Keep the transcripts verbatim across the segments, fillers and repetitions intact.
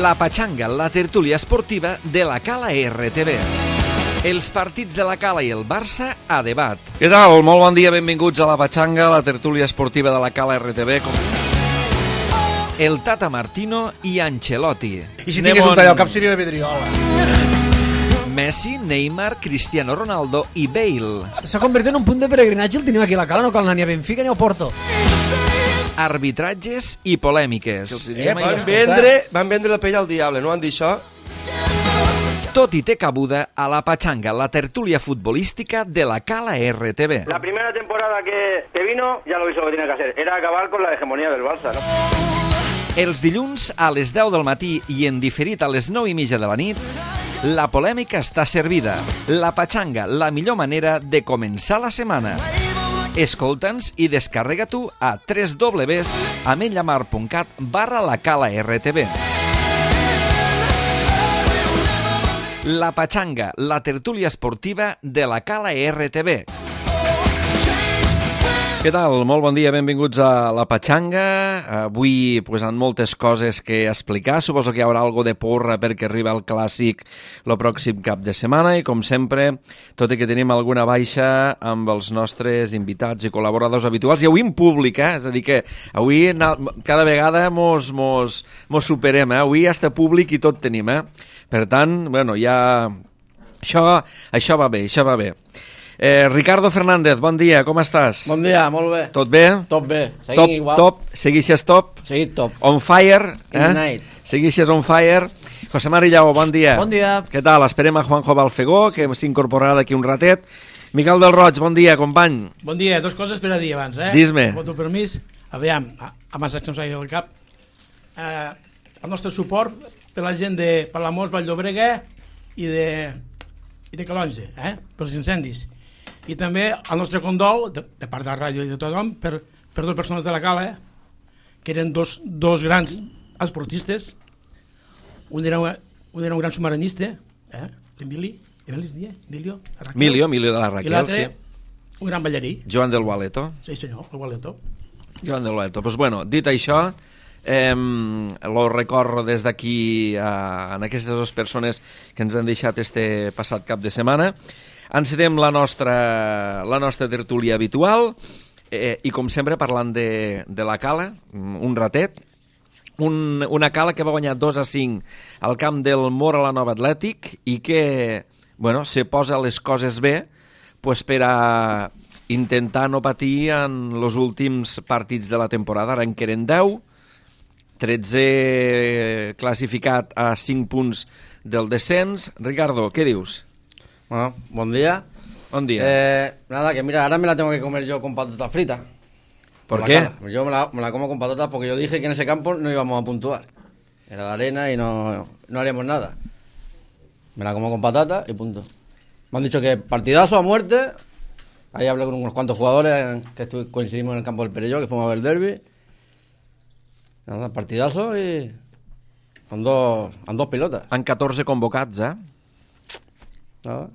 La Patxanga, la tertúlia esportiva de la Cala R T V. Els partits de la Cala i el Barça a debat. Què tal? Molt bon dia, benvinguts a La Patxanga, la tertúlia esportiva de la Cala R T V. El Tata Martino i Ancelotti. I si tingués un tall al cap seria la Vidriola. Messi, Neymar, Cristiano Ronaldo i Bale. S'ha convertit en un punt de peregrinatge el tenim aquí a la Cala, no cal anar ni a Benfica ni a Porto. Arbitratges i polèmiques. Eh, van, vendre, van vendre la pell al diable, no han dit això? Tot i té cabuda a La Patxanga, la tertúlia futbolística de la Cala R T V. La primera temporada que, que vino ya lo hizo lo que tenía que hacer, era acabar con la hegemonía del Barça, ¿no? Els dilluns a les deu del matí i en diferit a les nou i mitja de la nit, la polèmica està servida. La Patxanga, la millor manera de començar la setmana. Escolta'ns i descarrega-t'ho a w w w punt ametlllamar punt cat barra la Cala R T V. La Patxanga, la tertúlia esportiva de la Cala R T V. Què tal? Molt bon dia, benvinguts a La Patxanga. Avui pues, han moltes coses que explicar. Suposo que hi haurà algo de porra perquè arriba el Clàssic el pròxim cap de setmana i, com sempre, tot i que tenim alguna baixa amb els nostres invitats i col·laboradors habituals, i avui en públic, eh? És a dir que avui cada vegada mos, mos, mos superem, eh? Avui ja està públic i tot tenim, eh? Per tant, bueno, ja... Això, això va bé, això va bé. Eh, Ricardo Fernández, bon dia, com estàs? Bon dia, molt bé. Tot bé? Tot bé, seguim top, igual. Top, seguixes top? Seguim top. On fire, eh? In the night. Seguixes on fire. José Mari Llao, bon dia. Bon dia. Què tal? Esperem a Juanjo Balfegó, que s'incorporarà d'aquí un ratet. Miquel del Roig, bon dia, company. Bon dia, dos coses per a dir abans, eh? Dis-me. Amb el teu permís, aviam, abans que em s'hagi del cap, eh, el nostre suport per la gent de Palamós, Vall-llobrega i de, i de Calonge, eh? Pels incendis. I també el nostre condol, de, de part de la ràdio i de tothom, per, per dues persones de la Cala, eh, que eren dos, dos grans esportistes. Un era, un era un gran submarinista, eh, Emili, Emili es dia? Emilio? Emilio, Emilio de la Raquel, i l'altre, sí. Un gran ballarí. Joan del Gualeto. Sí, senyor, el Gualeto. Joan del Gualeto. Pues bueno, dit això, eh, lo recorro des d'aquí a, a aquestes dues persones que ens han deixat este passat cap de setmana. Encetem la nostra, la nostra tertúlia habitual eh, i, com sempre, parlant de, de la Cala, un ratet. Un, una Cala que va guanyar dos a cinc al camp del Mora la Nova Atlètic i que, bueno, se posa les coses bé pues, per a intentar no patir en els últims partits de la temporada. Ara en queden deu, tretze classificat a cinc punts del descens. Ricardo, què dius? Bueno, bon día. Buen día. Eh, nada, que mira, ahora me la tengo que comer yo con patatas fritas. ¿Por, por qué? Cala. Yo me la, me la como con patatas porque yo dije que en ese campo no íbamos a puntuar. Era de arena y no, no haríamos nada. Me la como con patatas y punto. Me han dicho que partidazo a muerte. Ahí hablé con unos cuantos jugadores que estuve, coincidimos en el campo del Perelló, que fuimos a ver el derbi. Nada, partidazo y con dos, con dos pilotas. Han catorze convocats, eh? Nada.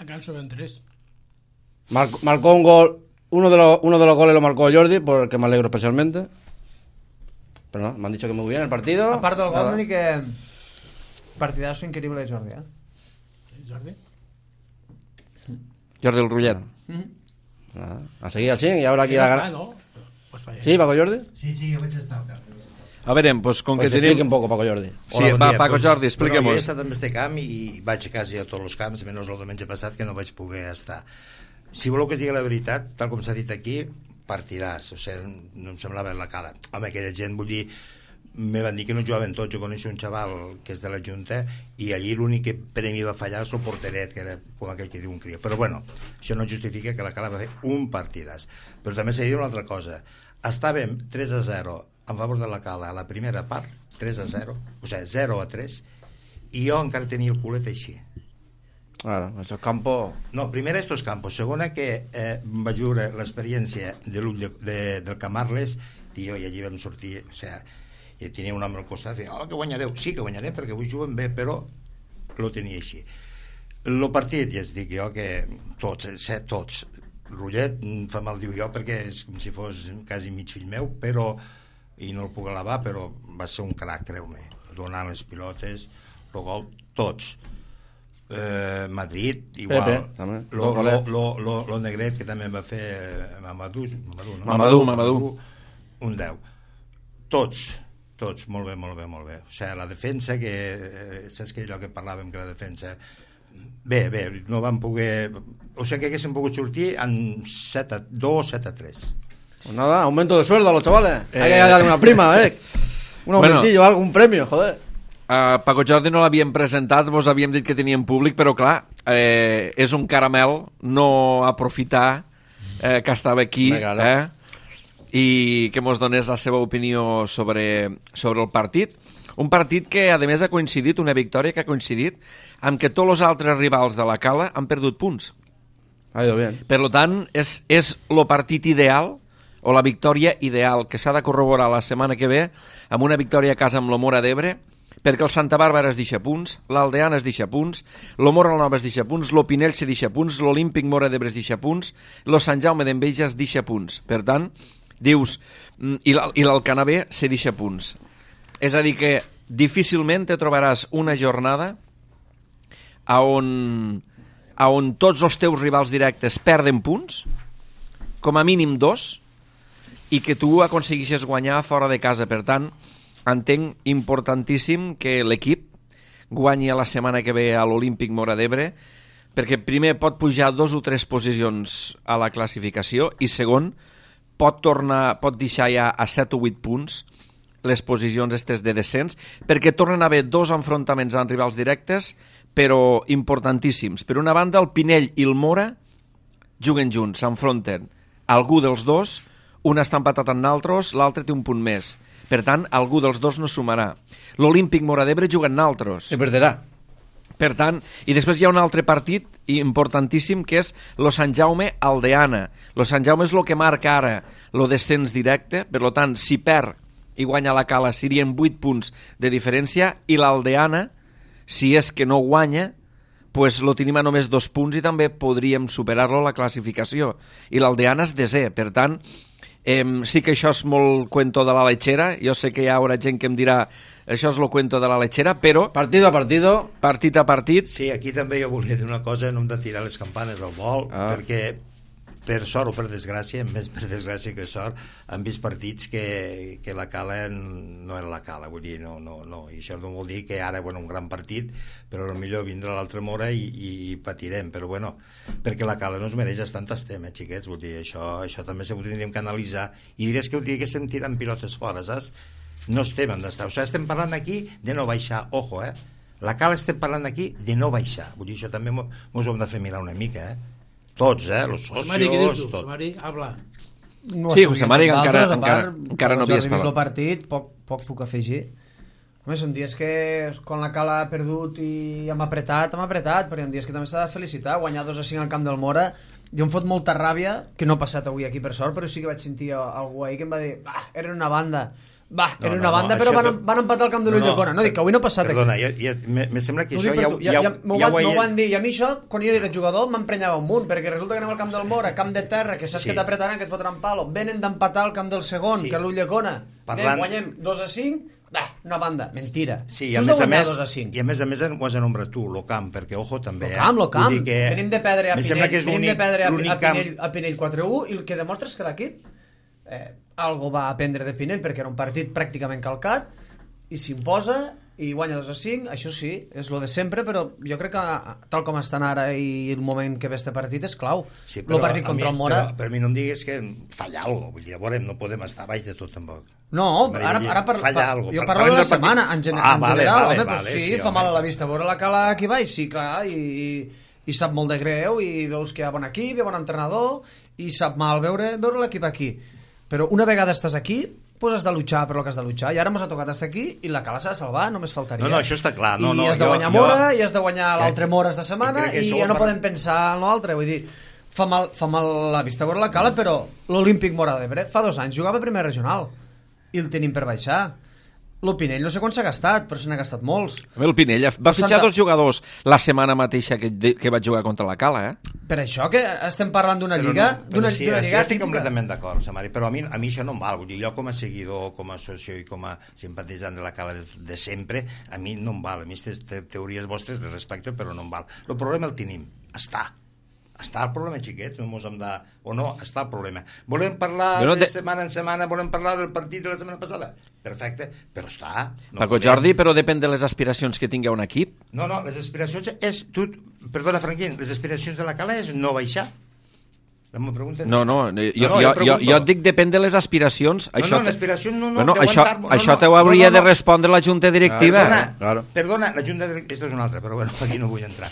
Acá suben tres. Marcó, marcó un gol, uno de, los, uno de los goles lo marcó Jordi, por el que me alegro especialmente. Pero no, me han dicho que muy bien el partido. A part del gol, ni que partidazo increïble de Jordi, eh? Jordi? Jordi el Rullet. Mm-hmm. Nada, a seguir así y ahora aquí Ja la està, gana. no? Pues falla. Sí, Paco Jordi. Sí, sí, jo vaig estar al camp. A veure, pues, com Pues que explique tenim... un poco, Paco Jordi. Sí, Hola, bon va, dia. Paco Pues, Jordi, expliquem-nos. Bueno, jo he estat en este camp i vaig a quasi a tots els camps, menys el diumenge passat que no vaig poder estar. Si voleu que es digui la veritat, tal com s'ha dit aquí, partidàs, o sigui, no em semblava la cara. Home, aquella gent, vull dir, me van dir que no jugaven tots. Jo coneixo un xaval que és de la Junta i allí l'únic que premi va fallar és el porteret, que era com aquell que diu un crio. Però bueno, això no justifica que la Cala va fer un partidàs. Però també s'ha dit una altra cosa. Estàvem tres a zero en favor de la Cala a la primera part, tres a zero, o sigui, zero a tres, i jo encara tenia el culet així. Claro, esos campos... No, primera estos campos, segona que eh, vaig viure l'experiència de, de, de, del Camarles, tio, i allí vam sortir, o sigui, i tenia un home al costat, i deia, oh, que guanyareu, sí que guanyarem perquè avui juguen bé, però lo tenia així. El partit, ja es dic jo, que tots, set, tots, Rullet fa mal diu jo perquè és com si fos quasi mig fill meu, però i no el puc alabar, però va ser un crac, creu-me. donant les pilotes, el gol, tots. Eh, Madrid, igual. Pepe, també. Lo, lo, lo, lo, lo Negret, que també va fer Mamadou, Mamadou, no? Mamadou, Mamadou. Un deu. Tots, tots, molt bé, molt bé, molt bé. O sigui, la defensa, que eh, saps que allò que parlàvem, que la defensa... Bé, bé, no van poder... O sigui, que haguéssim pogut sortir en set a dos, set a tres. Pues nada, aumento de sueldo a los chavales. Eh... Hay que darle una prima, eh. Un aumentillo, bueno, algún premio, joder. Uh, Paco Jordi no l'havíem presentat, vos havíem dit que teníem públic, però clar, eh, és un caramel no aprofitar eh, que estava aquí, eh, i que mos donés la seva opinió sobre, sobre el partit. Un partit que, a més, ha coincidit, una victòria que ha coincidit amb que tots els altres rivals de la Cala han perdut punts. Ha ido bien. Per tant, és, és el partit ideal, o la victòria ideal, que s'ha de corroborar la setmana que ve amb una victòria a casa amb la Móra d'Ebre, perquè el Santa Bàrbara es deixa punts, l'Aldeana es deixa punts, lo Móra la Nova es deixa punts, lo Pinell se deixa punts, l'Olímpic Móra d'Ebre es deixa punts, lo Sant Jaume d'Enveja es deixa punts. Per tant, dius, i l'Alcanavè se deixa punts. És a dir que difícilment te trobaràs una jornada a on, a on tots els teus rivals directes perden punts, com a mínim dos, i que tu aconseguixes guanyar fora de casa. Per tant, entenc importantíssim que l'equip guanyi la setmana que ve a l'Olímpic Móra d'Ebre, perquè primer pot pujar dos o tres posicions a la classificació i segon, pot tornar, pot deixar ja a set o vuit punts les posicions estes de descens, perquè tornen a haver dos enfrontaments amb rivals directes, però importantíssims. Per una banda, el Pinell i el Móra juguen junts, s'enfronten. Algú dels dos, un està empatat amb naltros, l'altre té un punt més. Per tant, algú dels dos no sumarà. L'Olímpic Móra d'Ebre juga en naltros. I perderà. Per tant, i després hi ha un altre partit importantíssim que és lo Sant Jaume Aldeana. Lo Sant Jaume és el que marca ara lo descens directe, per tant, si perd i guanya la Cala serien vuit punts de diferència, i l'Aldeana, si és que no guanya, pues lo tenim a només dos punts i també podríem superar-lo a la classificació. I l'Aldeana és desè, per tant, eh, sí que això és molt cuento de la lechera, jo sé que hi haurà gent que em dirà això és lo cuento de la lechera, però... Partido a partido. Partit a partit. Sí, aquí també jo volia dir una cosa, no hem de tirar les campanes al vol, ah. perquè per sort o per desgràcia, més per desgràcia que sort, han vist partits que, que la Cala no era la Cala, vull dir, no, no, no, i això no vol dir que ara, bueno, un gran partit, però potser vindrà l'altra Móra i, i, i patirem, però bueno, perquè la Cala no es mereix estar en tastem, eh, xiquets, vull dir, això, això també ho tindríem que analitzar, i diràs que ho diguéssim tirant pilotes fora, saps? No estem en d'estar, o sigui, estem parlant aquí de no baixar, ojo, eh? La Cala estem parlant aquí de no baixar, vull dir, això també mos ho hem de fer mirar una mica, eh? Tots, eh? Los socios, Mari, què dius tu? tot. Mari, habla. No Sí, José Mari, encara, a encara, part, encara no havies vist el parlat. partit, poc, poc puc afegir. Home, són dies que quan la Cala ha perdut i hem apretat, hem apretat, però hi ha dies que també s'ha de felicitar. Guanyar dos a cinc al camp del Móra, jo em fot molta ràbia, que no ha passat avui aquí per sort, però sí que vaig sentir algú ahir que em va dir, bah, era una banda, bah, No, era no, una banda, no, però això van, que- van empatar al camp de l'Ulldecona. No, dic que avui no ha passat Perdona, aquí. ja, ja, me, me sembla que T'ho això dic ja, per tu. ja, ja, ja, ja, m'ho ja van, ho m'ho he... van dir, i a mi això, quan jo era jugador, m'emprenyava un munt, perquè resulta que anem al camp del Móra, camp de terra, que saps Sí. que t'apretaran, que et fotran palo, venen d'empatar al camp del segon, Sí. que és l'Ulldecona, Parlant- anem, guanyem dos a cinc, bah, una banda, mentira. Sí, i Tu a has més de a guanyar més, dos a cinc. i a més a més ho has anomenat tu, lo camp, perquè ojo també, Lo camp, eh? lo camp. Vull dir que Venim de perdre a me Pinell, sembla que és venim de l'únic- perdre a, l'únic a, Pinell, camp- a Pinell quatre a u, i el que demostra és que l'equip eh, algo va aprendre de Pinell, perquè era un partit pràcticament calcat, i s'imposa i guanya dos a cinc, això sí, és lo de sempre, però jo crec que tal com estan ara i el moment que ve este partit és clau. Sí, el partit a contra mi, el Móra... Però, però a mi no em digues que falla alguna cosa, vull dir, a veure, no podem estar baix de tot tampoc. No, Vull ara, dir, ara par, falla par, algo. jo Par- parlo de parlem la del partit. setmana, en, gen Ah, en vale, general, vale, home, vale, pues sí, sí, fa home. mal a la vista veure la Cala aquí baix, sí, clar, i, i, i sap molt de greu, i veus que hi ha bon equip, hi ha bon entrenador, i sap mal veure, veure l'equip aquí. Però una vegada estàs aquí, pues has de luchar per lo que has de luchar, i ara mos ha tocat estar aquí, i la Cala s'ha de salvar, només faltaria. No, no, això està clar. No, I no, has de jo- guanyar jo- Móra, i has de guanyar crec- l'altre Móra esta setmana, crec que i això ja no per- podem pensar en l'altre, vull dir, fa mal, fa mal la vista veure la Cala, però l'Olímpic Móra d'Ebre fa dos anys jugava a primera regional, i el tenim per baixar. El Pinell no sé quan s'ha gastat, però se n'ha gastat molts. El Pinell va fitxar dos jugadors la setmana mateixa que, que va jugar contra la Cala, eh? Per això que estem parlant d'una Però lliga... no, d'una però sí, d'una sí, lliga estic típica. completament d'acord, Samari, però a mi, a mi això no em val. Vull dir, jo com a seguidor, com a socio i com a simpatitzant de la Cala de, de sempre, a mi no em val. A mi aquestes te teories vostres de respecte, però no em val. El problema el tenim. Està. Està el problema, xiquets, no mos hem de... O no, està el problema. Volem parlar Però de de... setmana en setmana, volem parlar del partit de la setmana passada? Perfecte, però està. No Paco podem. Jordi, però depèn de les aspiracions que tingui un equip. No, no, les aspiracions és... Tu, perdona, Franquín, les aspiracions de la Cala és no baixar? La meva pregunta és... No, no, jo, no, no, jo, jo jo, pregunto. jo et dic depèn de les aspiracions. No, això no, l'aspiració no, no, bueno, deu això, entrar- no, això no, t'ho no, hauria no, no. de respondre la Junta Directiva. Perdona, Claro. perdona, la Junta Directiva... Aquesta és una altra, però bueno, aquí no vull entrar.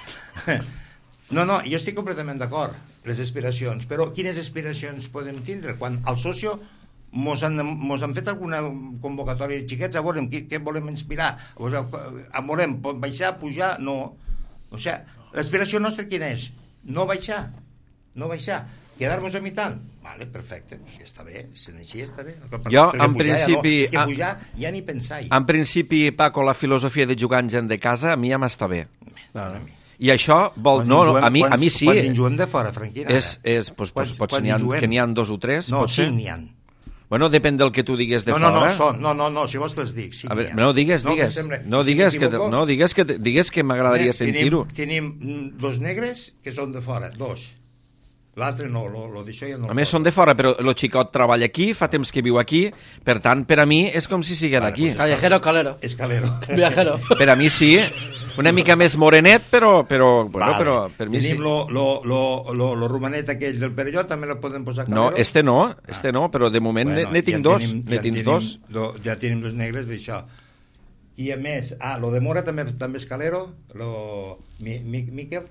No, no, jo estic completament d'acord, les aspiracions, però quines aspiracions podem tindre? Quan al socio mos han, mos han fet alguna convocatòria de xiquets, a veure, què, què volem inspirar? A veure, a volem baixar, pujar? No. O sigui, l'aspiració nostra quina és? No baixar, no baixar. Quedar-nos a mitad? Vale, perfecte, pues ja està bé, si així està bé. Jo, Perquè en pujar principi... Ja no. És que a- pujar ja ni pensar-hi. En principi, Paco, la filosofia de jugar en gent de casa a mi ja m'està bé. Claro. I això vol... Quants No, en no, juguem- a mi, a quants- mi sí. Quants en juguem de fora, Franquina? És, és, pues, pues, Quants- pots, quants n'hi ha, en juguem? que n'hi ha dos o tres, No, pot ser? cinc n'hi ha. Bueno, depèn del que tu digues de No, no, no, fora. són, no, no, no, si vols te'ls dic. Cinc A veure, n'hi ha. no, digues, No, digues. que sembla- No, si digues que, m'equivoco, no, digues que, digues que m'agradaria tenim- sentir-ho. Tenim mm, dos negres que són de fora, dos. L'altre no, lo, lo d'això ja no... A més, són de fora, però el xicot treballa aquí, fa temps que viu aquí, per tant, per a mi és com si sigués Vale, d'aquí. pues Callejero, calero. Escalero. Viajero. Per a mi sí, una mica més morenet, però, però, bueno, Vale. però per mi sí. Tenim lo, lo, lo, lo, lo romanet aquell del Perelló, també lo podem posar No, calero? este no, este no, però de moment Bueno, ne, ne tinc ja dos, tenim- ne ja tens tenim dos. Do, ja tenim dos negres d'això. I a més, ah, lo de Mora també, també és calero, lo, mi, mi, Miquel,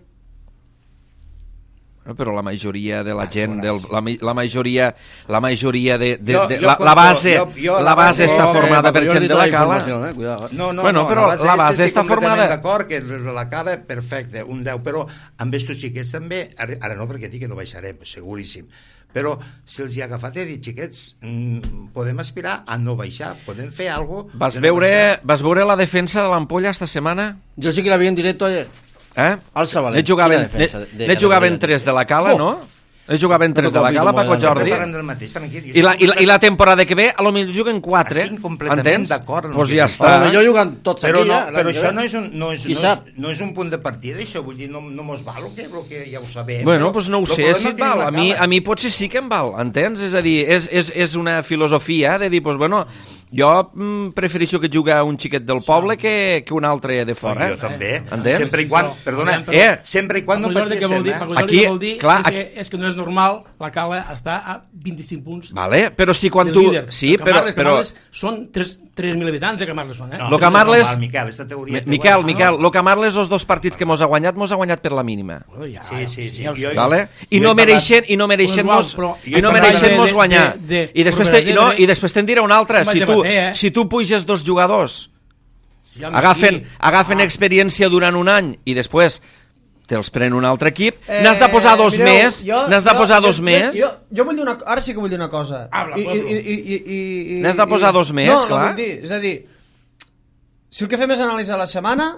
No, però la majoria de la Ah, gent, són del, els- la, mi- la majoria, la majoria de, de, Jo- de jo la, conto- la base, jo- jo la la base base- està Oh, formada per Paco gent Jordi de te la da Cala. información, eh, cuidado. No, no, Bueno, no, però base la este base estic està completament formada- d'acord que de la cara, perfecte, un deu, però amb estos xiquets també, ara, ara no perquè dic que no baixarem, seguríssim, però se'ls hi ha agafat i ha dit, xiquets, mm, podem aspirar a no baixar, podem fer alguna cosa... Vas veure, vas veure la defensa de l'Ampolla esta setmana? Yo sí que la vi en directo ayer. Eh? Al Sabalet. Ne jugaven, Quina defensa ne, de- de ne jugaven categoria. tres de la Cala, Oh. no? Ne jugaven tres de la Cala, Paco Sempre Jordi. Parlem del mateix, tranquil. I la, i, la, I la temporada que ve, a lo millor juguen quatre. Estic completament entens? d'acord en el Pues que ja dius. està. A lo millor juguen tots Però, aquí, no, ja, l'any però que això ve. no és, un, no, és, Qui no, sap? és, no és un punt de partida, això vull dir, no, no mos val el que, el que ja ho sabem. Bueno, però doncs no ho el sé problema si el et tenim val. la A mi, Cala. a mi potser sí que em val, entens? És a dir, és, és, és una filosofia de dir, doncs, bueno, jo mm, prefereixo que jugui un xiquet del poble que, que un altre de fora. Jo també, Entens? sempre i quan, perdona, Però- Eh, sempre i quan no Paco Jordi, què vol patissem, dir? eh? Paco Jordi, Aquí, què vol dir clar, és, que, és que no és normal, la Cala està a vint-i-cinc punts Vale, però si quan del tu... líder. Sí, El però... Camarles, però... Camarles són tres mil habitants de Camarles, són, eh? No, Lo que això és Marles- normal, Miquel, esta teoria... Mi- Miquel, Miquel, lo que Marles, els dos partits que mos ha guanyat, mos ha guanyat per la mínima. Bueno, ja, Sí, sí, sí. ja ho sé. Jo- Vale? I jo no he parlat- mereixen, i no mereixen Pues mos, igual, però- i no Jo he mereixen parlat mos de- guanyar. de- de- I després de- te, no, i després te'n diré una altra. Com Si vaig tu, amater, eh? si tu puges dos jugadors, Sí, home, agafen, sí. agafen Ah. experiència durant un any i després te'ls pren un altre equip, Eh, n'has de posar dos mireu, més, jo- n'has de jo- posar jo- dos jo- més. Jo, jo vull dir una, ara sí que vull dir una cosa. Habla, I, Pablo. i, i, i, i, i, N'has de posar i- dos més, no, No, clar. vull dir, és a dir, si el que fem és analitzar la setmana,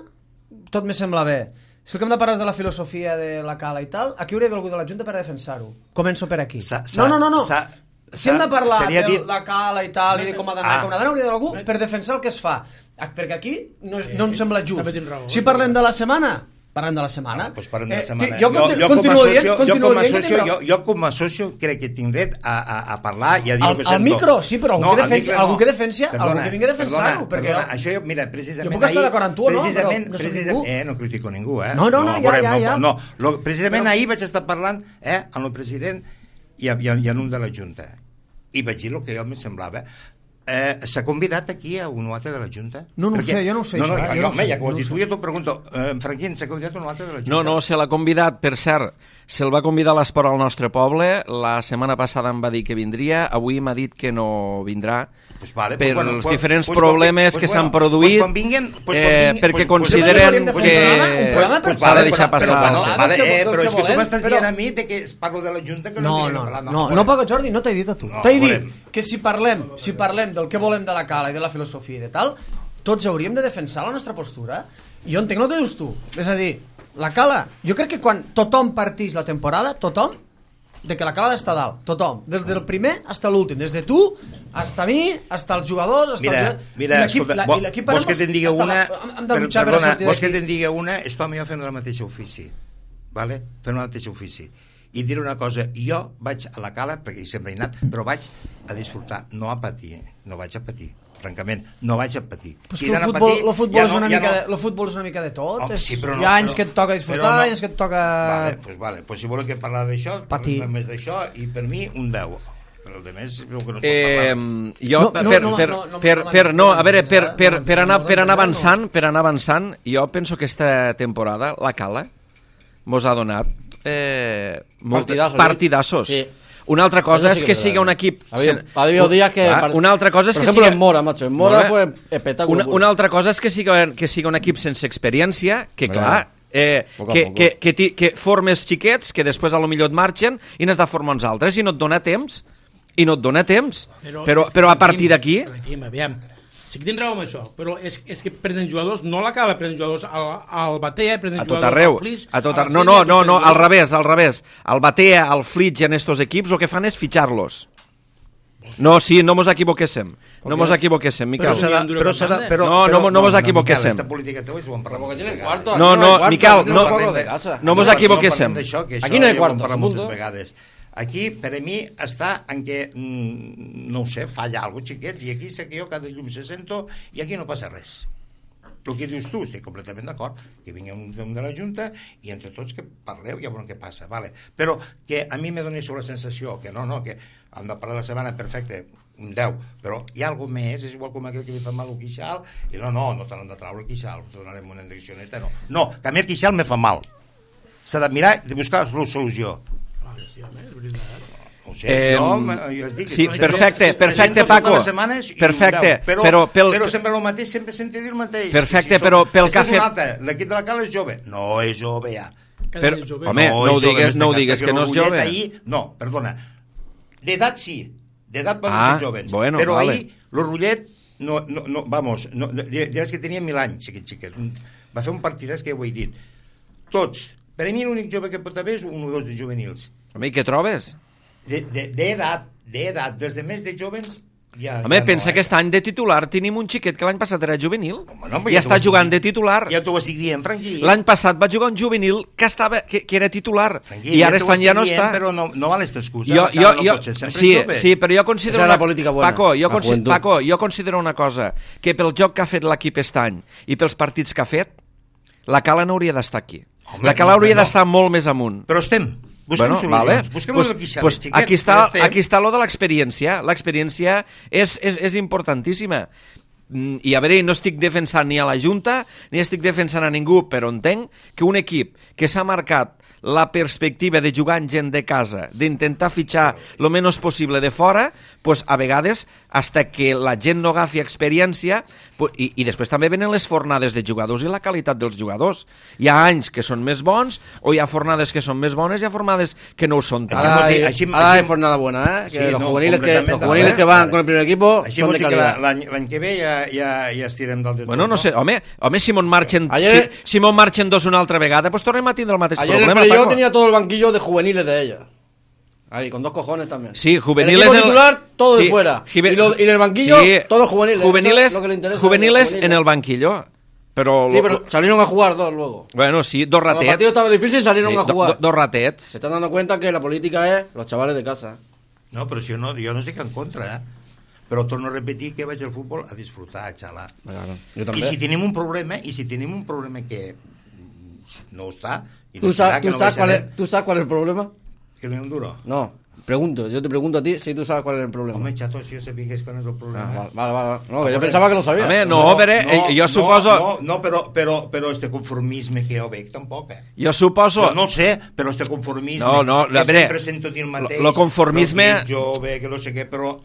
tot me sembla bé. Si el que hem de parlar és de la filosofia de la Cala i tal, aquí hauria d'haver algú de la Junta per a defensar-ho. Començo per aquí. S'ha- s'ha- No, no, no, no. s'ha- Si hem de s'ha- parlar seria de dit- la Cala i tal, i de com ha d'anar, Ah. com ha d'anar, hauria d'haver algú per defensar el que es fa. Ah, perquè aquí no, és, no em sembla just. també tens raó, Si és parlem de la setmana, parlem de la setmana. Ah, doncs parlem de la Eh, setmana. Jo, conti- continuo com a dient, socio, jo, continuo com a dient que socio, tindrà- jo, jo com a socio crec que tinc dret a, a, a parlar i a dir Al- el que al sento. micro, sí, però algú que al defensi- micro algú que defensi- algú Perdona, que vingui a defensar-ho, perdona, perquè perdona, jo- això jo, mira, precisament jo puc estar ahir- d'acord amb tu, no? precisament, Però no soc precisament, ningú. eh, no critico ningú, eh? No, no, no, ja, veurem, ja, ja. No, lo, precisament Però- ahir vaig estar parlant eh, amb el president i, i, i en un de la Junta i vaig dir el que jo em semblava. Eh, S'ha convidat aquí a un o altre de la Junta? No, no ho Perquè- sé, jo no ho sé, No, no, això, eh, jo, jo no ho home, sé, ja que ho has no ho dit sé. tu, jo t'ho pregunto. Eh, Franquín, s'ha convidat un o altre de la Junta? No, no, se l'ha convidat, per cert, se'l va convidar a l'esport al nostre poble, la setmana passada em va dir que vindria, avui m'ha dit que no vindrà, pues vale, per pues bueno, els pues, diferents pues, problemes pues, que bueno, s'han produït, pues quan vinguin, pues quan eh, vinguin, perquè pues, consideren pues, que un programa per s'ha de deixar però, passar. Però, bueno, Del vale, que- eh, del però que és que tu volem, m'estàs però- dient a mi de que parlo de la Junta que no, No, tinc no, que parlar. no, volem. no, Paco Jordi, no t'he dit a tu. No, T'he dit volem. que si parlem, si parlem del que volem de la cala i de la filosofia i de tal, tots hauríem de defensar la nostra postura. I jo entenc el que dius tu. És a dir, la cala, jo crec que quan tothom partix la temporada, tothom, de que la cala ha d'estar dalt, tothom, des del primer fins l'últim, des de tu, hasta mi, hasta els jugadors, hasta Mira, el... mira, escolta, vo- vols que te'n digui una, però, perdona, vols que te'n digui una, esto a mi fem el mateix ofici, vale? Fem el mateix ofici. I diré una cosa, jo vaig a la cala, perquè hi sempre he anat, però vaig a disfrutar, no a patir, no vaig a patir. Francament, no vaig a patir. Però Si que el anant a futbol, patir, el futbol, ja és no- una ja mica no- de, el futbol és una mica de tot. Home, és, sí, però no, hi ha anys però- que et toca però disfrutar, no. anys que et toca... Vale, pues vale, pues si volen que parlar d'això, Patir. parlem més d'això, i per mi un deu. Però el de més, el que no es pot Eh, parlar. jo, No, per, no, per, no, per, no, no, per, no, per, no, a veure, per, per, no, per, no, anar, no, per anar no, no. avançant, per anar avançant, jo penso que aquesta temporada, la Cala, mos ha donat eh, molt, Partidassos, eh? partidassos. Sí. Una altra cosa Eso sí és que que es sigui verdad. un equip... Ha habido, ha habido días que... Clar, una altra cosa és por que ejemplo, siga... en Mora, macho. En Mora Molt fue bé. espectáculo. Una, puro. una altra cosa és que siga, que siga un equip sense experiència, que Hombre, clar, eh, poco a que, poco. que, que, ti- que formes xiquets, que després a lo millor et marxen i n'has de formar uns altres i no et dona temps. I no et dona temps. Però, però, és però a que partir tenim- d'aquí... tenim, aviam, sí que tens raó amb això, però és, és que prenen jugadors, no a la Cala, prenen jugadors al, al Batea, prenen A tot jugadors arreu. al Flix, A tot a arreu. la No, no, Sella, no, prenen no, al jugadors- revés, al revés. Al Batea, al Flix i en estos equips el que fan és fitxar-los. No, sí, no mos equivoquéssim. No mos equivoquéssim, Però Miquel. s'ha de, però s'ha de, però, No, no, però, no mos equivoquéssim. Miquel, esta política teva és ho hem parlat Porque moltes tienen vegades. cuarto. No, aquí no, hay cuarto, Miquel, aquí no- parlem de casa. no mos No equivoquéssim. parlem d'això, que això Aquí no hi ha ja ho hem quartos, parlat moltes punto. vegades. Aquí, per a mi, està en què, mm, no ho sé, falla alguna cosa, xiquets, i aquí sé que jo cada llum se sento i aquí no passa res. El que dius tu, estic completament d'acord, que vingui un, un de la Junta i entre tots que parleu i ja veurem què passa, vale. Però que a mi me doni la sensació que no, no, que hem de parlar la setmana, perfecte, un deu, però hi ha alguna més, és igual com aquell que li fa mal el queixal, i no, no, no te l'han de traure el queixal, te donarem una indiccioneta, no. No, que a mi el queixal me fa mal. S'ha de mirar i de buscar la solució. No ho sé, Eh, jo, jo dic, sí, se sento- perfecte, se perfecte, sento Paco. totes les setmanes i Perfecte, un deu, però, però pel- però sempre el mateix, sempre sentir dir el mateix. Perfecte, I si però som- pel que ha Esta és una fet- altra, l'equip de la Cala és jove. No és jove ja. Cada Però, dia és jove. home, no, ho és jove, digues, en no ho este cas, digues perquè que no és l'Orgullet jove. Ahir, no, perdona. D'edat sí, d'edat poden Ah, ser jovens. bueno, però vale. ahir l'Orgullet, no, no, no, vamos, no, diràs que tenia mil anys, aquest xiquet. Va fer un partidàs que ja ho he dit. Tots. Per a mi l'únic jove que pot haver és un o dos de juvenils. Home, i què trobes? D'edat, de, d'edat, des de més de jovens ja, Home, ja pensa no, que aquest any de titular tenim un xiquet que l'any passat era juvenil Home, no, però i ja està t'ho estic jugant de dient. titular. Ja t'ho estic dient, Franqui. L'any passat va jugar un juvenil que, estava, que, que era titular Franqui, i ara t'ho aquest any ja no estic dient, està. Però no, no val esta excusa. Jo, la jo, cara no jo, pot ser sempre sí, jove. sí, però jo considero Esa una, era la política buena, Paco, jo, la consi juventud. Paco, jo considero una cosa, que pel joc que ha fet l'equip aquest any i pels partits que ha fet, la Cala no hauria d'estar aquí. Home, la Cala no, hauria no. d'estar molt més amunt. Però estem. Busquem Bueno, solucions. vale. Busquem Pues- lo del quixal, pues xiquet. aquí està, ja estem. aquí està lo de l'experiència. L'experiència és, és, és importantíssima. Mm, I a veure, no estic defensant ni a la Junta ni estic defensant a ningú, però entenc que un equip que s'ha marcat la perspectiva de jugar amb gent de casa, d'intentar fitxar el menys possible de fora, pues, a vegades, hasta que la gent no agafi experiència, pues, i, i després també venen les fornades de jugadors i la qualitat dels jugadors. Hi ha anys que són més bons, o hi ha fornades que són més bones, i hi ha fornades que no ho són tant. Ahora hay, Així- ahora hay així- jornada buena, ¿eh? Que Sí, los no, juveniles, que, completamente, los juveniles vale, que van vale. con el primer equipo Així son vols de dir que calidad. la- l'any l'any que ve ja, ja, ja estirem dalt de tot. Bueno, no sé, home, home si mon marxen, Ayer- si, si mon marxen dos una altra vegada, pues tornem a tindre el mateix Ayer el problema, Perelló Paco. tenía todo el banquillo de juveniles de ella. Ahí, con dos cojones también. Sí, juveniles El equipo en el- titular, todo sí, de fuera. jive- Y, lo- y en el banquillo, Sí, todos juveniles. Juveniles, Eso es lo que le interesa a los juveniles juveniles. en el banquillo. Pero, Sí, lo- pero salieron a jugar dos luego. bueno, sí, dos Cuando el ratets. partido estaba difícil, salieron Sí, a do- jugar. do- dos ratets. Se están dando cuenta que la política es los chavales de casa. No, però si jo no, jo no estic en contra, eh? Però torno a repetir que vaig al futbol a disfrutar, a xalar. Claro, yo I también. si tenim un problema, i si tenim un problema que mm, no està, i no ¿Tú, serà, sabes, que tú, no sabes cuál baixarem, es, ¿Tú sabes cuál es el problema? que no hi ha un duro. No. pregunto, yo te pregunto a ti si tú sabes cuál es el problema. Home, xato, si jo sabia que és quan és el problema. Ah, vale, vale, vale. No, que yo pensaba que lo sabía. Home, no, no, però eh, jo suposo... No, no, però, però, però este conformisme que jo veig tampoc, eh. Jo suposo... Jo no sé, però este conformisme... No, no, que a veure, sempre sento dir el mateix... Lo conformisme... Que jove, que no sé què, però...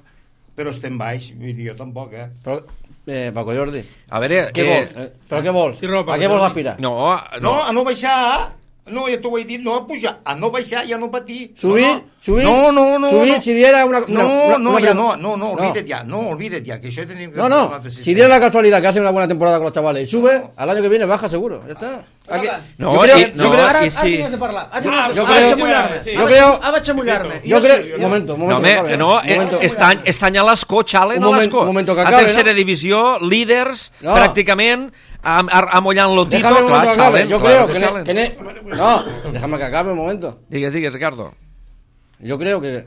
Però estem baix, vull dir, jo tampoc, eh. Però, eh, Paco Jordi, A veure... què eh, vols? Eh, però què vols? Sí, Ropa, a què vols Jordi. aspirar? No, No, no. a no baixar... No, ja t'ho he dit, no a pujar, a no baixar i a no patir. Subir, no, no. subir, no, no, no, subir, no. si diera una... No, una, no, una ja pregunta. no, no, no, olvídate ya, no, olvídate ya, que això tenim que... No, no, si diera la casualidad que hace una buena temporada con los chavales y sube, al año que viene baja seguro, ya está. Aquí, No, yo creo, i- yo no, creo, Ara, i ara sí. tingues de parlar. Ara tingues de yo parlar. creo- Ara vaig a mullar-me. sí. yo Ara creo- vaig a- ara vaig a mullar-me. yo Jo creo, sí, un jo- momento, un No, momento. home, que acabe, no, un eh, momento. estany, estany a l'escó, xalen Un a moment- l'escó. un momento que A acabe, tercera no? divisió, líders, No. pràcticament, am- ar- amollant-lo tito, Déjame un clar, momento que acabe. xalen. Yo claro creo que que, ne- xalen. que ne- no, déjame que acabe un momento. Digues, digues, Ricardo. Yo creo que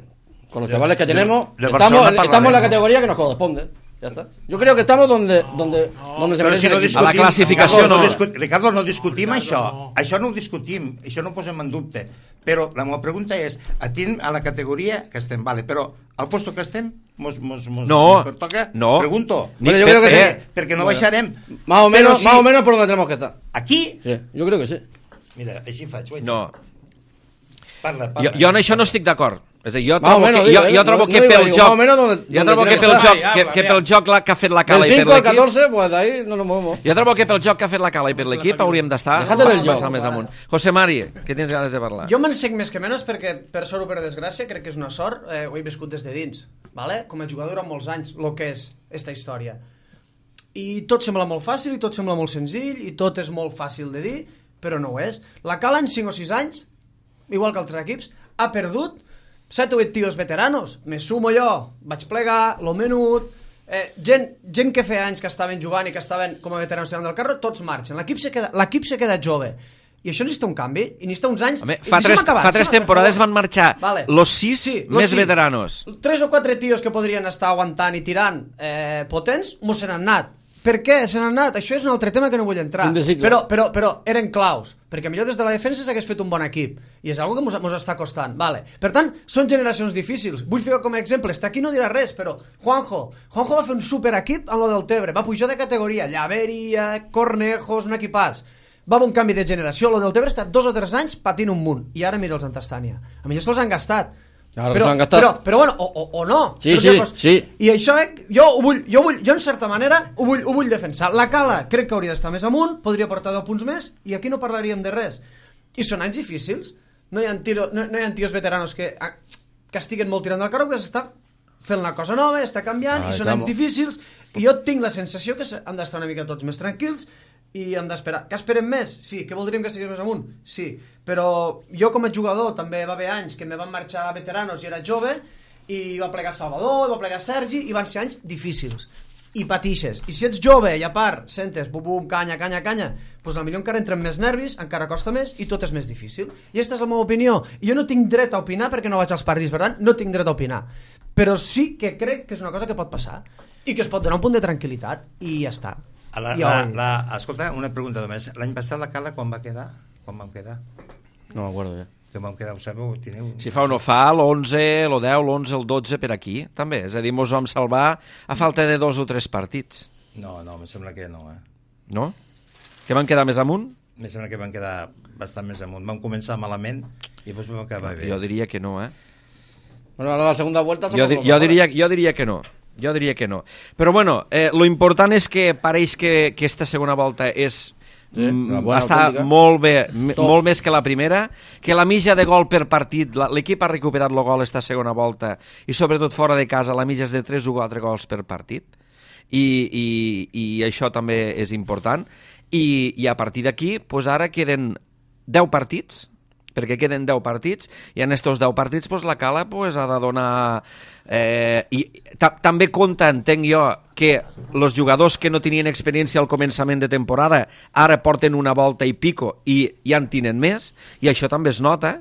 con los chavales que de- tenemos de estamos, Barcelona estamos en la parlarem. categoría que nos corresponde. Ya está. Yo creo que estamos donde donde donde se Però merece si no el equipo. A la discutim, classificació Ricardo, no. discu Ricardo, no discutim Ricardo, això. no. Això no ho discutim, això no ho posem en dubte. Però la meva pregunta és, a, tin, a la categoria que estem, vale, però al puesto que estem, mos, mos, mos, No, mos pertoca? no. Pregunto. Ni- Bueno, yo creo que eh, Perquè, perquè no baixarem. Más o Però menos, si más o menos por donde tenemos que estar. Aquí, Sí, yo creo que sí. mira, així faig. Guaita. No. Parla, parla. Jo, jo en això no estic d'acord. És a dir, jo Más o trobo menos, que, digo, jo, eh, jo trobo no- que no digo, pel digo, joc... más o menos donde- Jo donde trobo que tenemos pel que joc, estar. que, Habla, que habla. pel joc la- que ha fet la Del Cala i per cinco al l'equip... catorce, pues de ahí no nos movemos. Jo trobo que pel joc que ha fet la Cala i per l'equip hauríem d'estar Déjate del joc. bastant més amunt. José Mari, que tens ganes de parlar? Jo me'n sec més que menys perquè, per sort o per desgràcia, crec que és una sort, eh, ho he viscut des de dins, vale? Com a jugador durant molts anys, el que és esta història. I tot sembla molt fàcil, i tot sembla molt senzill, i tot és molt fàcil de dir, però no ho és. La Cala en cinc o sis anys, igual que altres equips, ha perdut set o vuit tios veteranos. Me sumo jo, vaig plegar, lo menut, eh, gent, gent que feia anys que estaven jugant i que estaven com a veteranos tirant del carro, tots marxen. L'equip se queda, l'equip se queda jove. I això necessita un canvi, i necessita uns anys... Home, I fa deixa'm tres, acabar, fa tres deixa'm- temporades per favor. van marxar Vale. los sis Sí, los més sis. veteranos. Tres o quatre tios que podrien estar aguantant i tirant eh, potents, mos se n'han anat. Per què se n'han anat? Això és un altre tema que no vull entrar. Fin de cicle. Però, però, però eren claus, perquè millor des de la defensa s'hagués fet un bon equip. I és algo que mos, mos està costant. Vale. Per tant, són generacions difícils. Vull ficar com a exemple, està aquí no dirà res, però Juanjo. Juanjo va fer un superequip amb lo del Tebre. Va pujar de categoria. Llaveria, Cornejos, un equipàs. Va haver un canvi de generació. Lo del Tebre ha estat dos o tres anys patint un munt. I ara mira els Antastània. A millor se'ls han gastat. Claro que però, se l'han gastat. però, però bueno, o, o, o no. Sí, Però sí, llavors- sí. I això, eh, jo ho vull, jo vull, jo en certa manera ho vull, ho vull defensar. La Cala crec que hauria d'estar més amunt, podria portar deu punts més, i aquí no parlaríem de res. I són anys difícils. No hi ha, tiro, no, no hi ha tios veteranos que, que estiguen molt tirant del carro, que s'està fent una cosa nova, està canviant, Ah, i són estamos. anys difícils, i jo tinc la sensació que han d'estar una mica tots més tranquils, i hem d'esperar. Que esperem més? Sí. Que voldríem que estigués més amunt? Sí. Però jo com a jugador també va haver anys que me van marxar veteranos i era jove, i va plegar Salvador, va plegar Sergi, i van ser anys difícils. I patixes. I si ets jove i a part sentes bum bum, canya, canya, canya, doncs potser encara entren més nervis, encara costa més i tot és més difícil. I aquesta és la meva opinió. I jo no tinc dret a opinar perquè no vaig als partits, per tant, no tinc dret a opinar. Però sí que crec que és una cosa que pot passar i que es pot donar un punt de tranquil·litat i ja està. A la, Ja la, ho he dit. la, escolta, una pregunta només. L'any passat la Cala quan va quedar? Quan vam quedar? No me acuerdo ya. Que vam quedar, ho sabeu? Teniu... Si fa o no fa, l'onze, el deu, l'onze, el dotze per aquí, també. És a dir, mos vam salvar a falta de dos o tres partits. No, no, em sembla que no, eh? No? Que van quedar més amunt? Em sembla que van quedar bastant més amunt. Vam començar malament i després vam acabar bé. Jo diria que no, eh? Bueno, ahora la segunda vuelta somos Jo, di los jo, mejores. diria, jo diria que no. Jo diria que no. Però bueno, eh, lo important és que pareix que, que esta segona volta és Sí, mm, una bona està autèntica. molt bé, m- Top. molt més que la primera, que la mitja de gol per partit, la- l'equip ha recuperat el gol esta segona volta, i sobretot fora de casa la mitja és de tres o quatre gols per partit, i, i, i això també és important, i, i a partir d'aquí, pues ara queden deu partits, perquè queden deu partits, i en estos deu partits pues, la Cala pues, ha de donar... Eh, i ta també compta, entenc jo, que els jugadors que no tenien experiència al començament de temporada ara porten una volta i pico i ja en tenen més, i això també es nota,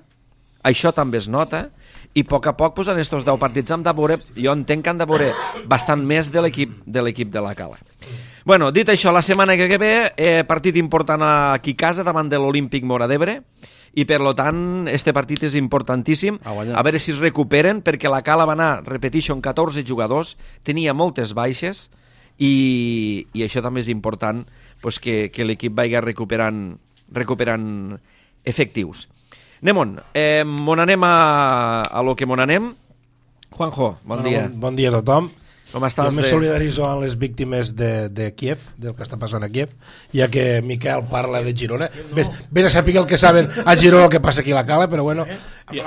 això també es nota, i a poc a poc pues, en estos deu partits hem de veure, jo entenc que han de veure bastant més de l'equip de l'equip de la Cala. Bueno, dit això, la setmana que ve, eh, partit important aquí a casa davant de l'Olímpic Móra d'Ebre, i per lo tant este partit és importantíssim, A guanyar. a veure si es recuperen, perquè la Cala va anar, repeteixo, amb catorze jugadors, tenia moltes baixes i, i això també és important, pues, que, que l'equip vagi recuperant, recuperant efectius. Anem-on, eh, mon anem a, a lo que mon anem. Juanjo, bon bueno, dia. Bon, bon dia a tothom. Com estàs? Jo me de... solidaritzo amb les víctimes de, de Kiev, del que està passant a Kiev, ja que Miquel parla de Girona. Ves, ves a saber el que saben a Girona el que passa aquí a la Cala, però bueno, jo,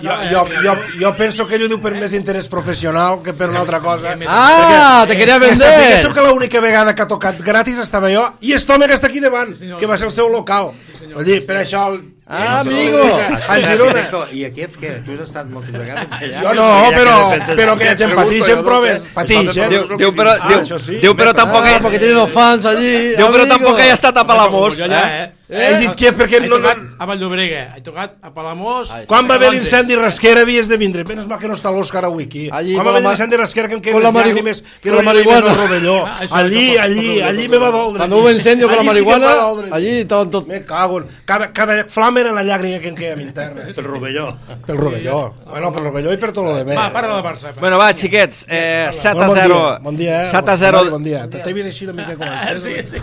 jo, jo, jo, jo penso que ell ho diu per més interès professional que per una altra cosa. Ah, te quería Que vender. sapiguéssiu que l'única vegada que ha tocat gratis estava jo i este home que està aquí davant, que va ser el seu local. Vull dir, per això... El, Ah, el- amigo. A Girona. I a Kiev, què? Tu has estat moltes vegades allà? Jo no, però, però que la gent patixen proves, patixen. Diu, diu, però, Ah, diu, això sí. diu, però tampoc... Ah, porque tiene los fans allí. Diu, però amigo. tampoc he estat a Palamós. Jo allà, Eh? eh? He dit Kiev perquè He no... no tocat a Valldobregue, he tocat a Palamós... Ai. quan va haver l'incendi Rasquera havies de vindre. Menys mal que no està l'Òscar avui aquí. Allí Quan con va haver la ma- l'incendi Rasquera que em con queden la les marihu- llàgrimes que con no la li llàgrimes al marihuana. rovelló. Ah, això Allí, és allí, poco, allí poco, me va poco. doldre. Cuando hubo incendio con la Allí sí que em va marihuana, doldre. allí estaban todos... Me cago en... Cada, cada flama era la llàgrima que em queia a mi interna. Pel rovelló. Pel rovelló. Bueno, pel rovelló i per tot lo de més. Va, para de Barça. Bueno, va, xiquets, eh, set a Bon dia, zero. bon dia, eh? set a zero. Bon dia. T'he vist així una mica com el Sí, sí.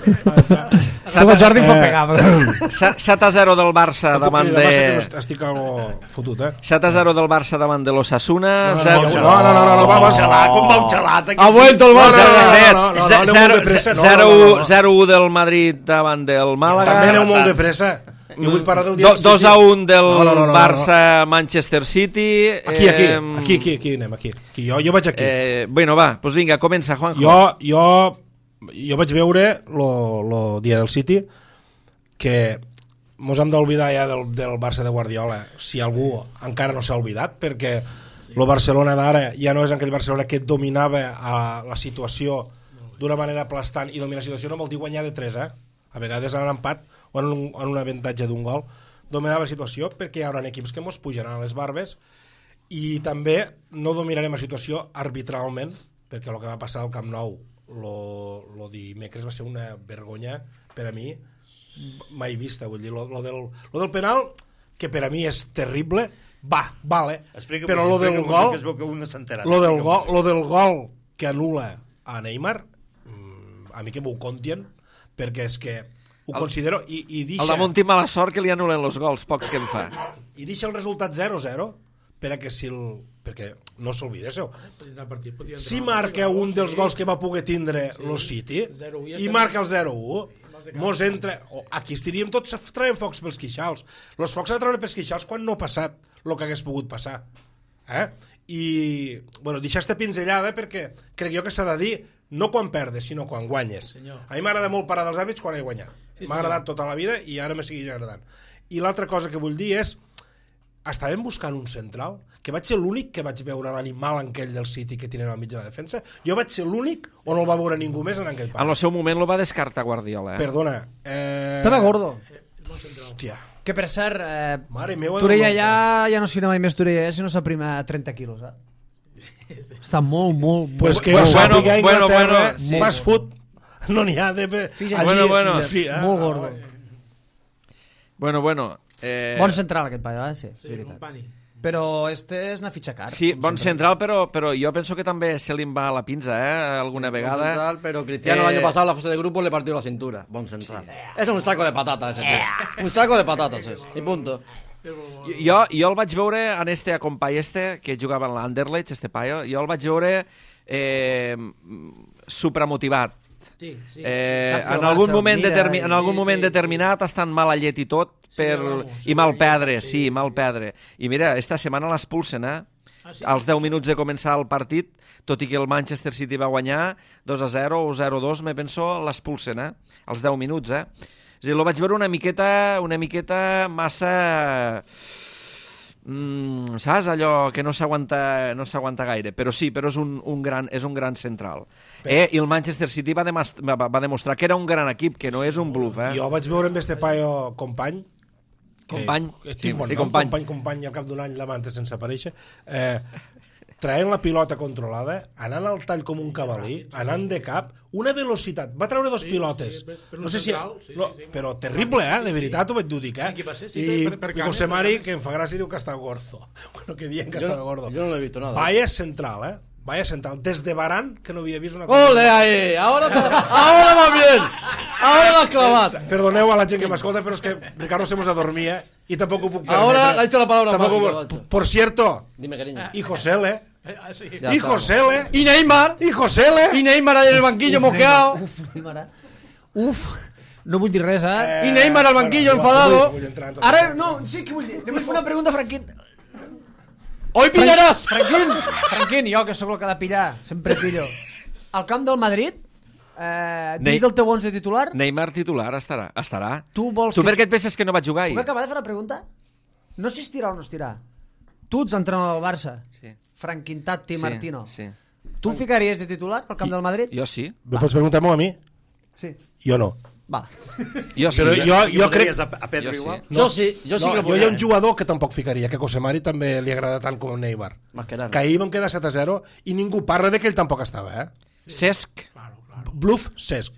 Com el Jordi em fa pegar, però... set a zero del Barça No puc davant cridar massa que de... no estic algo fotut, eh? set a zero del Barça davant de l'Osasuna. No, zero- no, no, no, no, no, va, va, Xalat, com va un xalat aquí? Ha vuelto el No, Barça. no, no, Set, no, no, no, ze- aneu zero- molt de pressa, no, zero- no, no, no. zero u del Madrid davant del Màlaga. També aneu molt de pressa. Jo vull parlar del dia Do, del dos City. a un del No, no, no, no, Barça-Manchester City. Aquí, aquí, eh, aquí, aquí, aquí anem, aquí. aquí jo, jo vaig aquí. Eh, bueno, va, doncs vinga, comença, Juanjo. Jo, jo, jo vaig veure lo, lo dia del City que mos hem d'oblidar ja del, del Barça de Guardiola, si algú encara no s'ha oblidat, perquè el Barcelona d'ara ja no és aquell Barcelona que dominava a la situació d'una manera aplastant, i dominar la situació no vol dir guanyar de tres, eh? A vegades en un empat o en un, en un avantatge d'un gol dominava la situació, perquè hi haurà equips que mos pujaran a les barbes, i també no dominarem la situació arbitralment, perquè el que va passar al Camp Nou lo, lo dimecres va ser una vergonya per a mi mai vista, vull dir, lo, lo, del, lo del penal, que per a mi és terrible, va, vale, Explica, però lo del explica, gol, que es veu que un no s'ha enterat. lo del gol, lo del gol que anul·la a Neymar, mm, a mi que m'ho contien, perquè és que ho El- considero i, i El deixa, damunt té mala sort que li anulen els gols, pocs que en fa. i deixa el resultat zero zero per a que si el, perquè no s'oblidéssiu, si marca un dels gols que va poder tindre sí, el City zero u, ja i estem- marca el zero u, mos entra, oh, aquí estaríem tots traient focs pels queixals. Els focs a treure pels queixals quan no ha passat el que hagués pogut passar, eh? I bueno, deixar esta pinzellada perquè crec jo que s'ha de dir no quan perdes, sinó quan guanyes. A mi m'agrada molt parar dels àrbits quan he guanyat. M'ha agradat tota la vida i ara me segueix agradant. I l'altra cosa que vull dir és, estàvem buscant un central, que vaig ser l'únic que vaig veure l'animal aquell del City que tenen al mig de la defensa. Jo vaig ser l'únic o no el va veure ningú més en aquell En parc. el seu moment lo va descartar Guardiola. Eh? Perdona. Eh... Tema gordo. Hòstia. Que per cert, eh, Mare meva, Torella del ja, ja no serà mai més Torella, si no s'aprima trenta quilos, eh? Està molt, molt, molt... Pues que Bueno, jo sàpiga a bueno, Inglaterra, bueno, sí. Fast food, no n'hi ha de... Allí, Bueno, bueno. fi, eh? molt gordo. Bueno, bueno. Eh... Bon central aquest paio, eh? Sí, sí, és veritat. Però este és una fitxa car. Sí, bon central, però, però jo penso que també se li va a la pinza, eh? Alguna vegada. Central, pero Cristiano Eh, el año pasado en la fase de grupo le partió la cintura. Bon central. Es un saco de patatas ese tío. Un saco de patatas es. Y punto. Jo, jo el vaig veure en este acompany este, que jugava en l'Anderlecht, este paio, jo el vaig veure eh, supramotivat. Sí, sí. Eh, Sap que el en algun Barça moment, mira determi i- en algun sí, moment sí, determinat estan mala llet i tot per, vamos, i mal sí, perdre, sí. sí, mal perdre. I mira, esta setmana l'expulsen, eh? Ah, sí? Als deu minuts de començar el partit, tot i que el Manchester City va guanyar dos a zero o zero a dos, me penso, l'expulsen, eh? Als deu minuts, eh? És a dir, lo vaig veure una miqueta, una miqueta massa... Mm, saps? Allò que no s'aguanta no s'aguanta gaire, però sí, però és un, un, gran, és un gran central. Eh? I el Manchester City va, demast va, va demostrar que era un gran equip, que no és un bluff, eh? Jo vaig veure amb este paio company, que- Company, que sí, tinc bon sí, nom, company. company, company, i al cap d'un any la manta sense aparèixer, eh, traient la pilota controlada, anant al tall com un cavalí, anant de cap, una velocitat. Va treure dos Sí, pilotes. sí, per- per no un sé si... central, sí, no, sí, sí. però terrible, eh? De Sí, sí. veritat, ho vaig dir, dic, eh? Qui va ser? Sí, I, per- per i Canes, José per Mari, Canes. que en fa gràcia, diu que està gordo. Bueno, que dient que Yo, estava gordo. yo no lo he visto nada. Vaya central, eh? Vaya central. Des de Varane, que no havia vist una cosa... ¡Ole ahí! Ahora, te- ahora va bien. Ahora lo has clavado. Perdoneu a la gent que m'escolta, però és que Ricardo se mos adormia i tampoc ho puc permetre. Ahora le ha hecho la palabra Tampoco mágica, ho- macho. Por cierto, Dime, cariño. y Josele, Eh, ah, sí. Ya y está. Josele, Y Neymar. y Josele. Y Neymar ahí en el banquillo mosqueado. Uf, Neymar, eh? Uf, no vull dir res, eh? Y Neymar al banquillo bueno, enfadado. no vull entrar en tot Ara, això. no, sí que vull dir. Li vull fer una pregunta a Franquín. Hoy pillarás. Franquín, Franquín, jo que sóc el que ha de pillar, sempre pillo. Al camp del Madrid, eh, dins Ne- del teu onze titular, Neymar titular estarà. estarà. tu vols Tu que... per què et penses que no va jugar ahir? Puc acabar de fer una pregunta? No sé si estirà o no estirà. Tu ets entrenador del Barça, Sí. Franquín Tatti Sí, Martino. sí. Tu el ficaries de titular al camp del Madrid? Jo sí. Me pots preguntar-m'ho a mi? Sí. Jo no. Va. Jo sí. Però jo, I jo crec... votaries a, a Pedro Jo sí. igual? Yo sí, yo sí No, que lo jo hi ha podría. un jugador que tampoc ficaria, que a José Mari també li agrada tant com Neymar. Mascherano. Que ahir vam quedar set a zero i ningú parla de que ell tampoc estava, eh? Cesc. Claro, claro. Bluff, Cesc.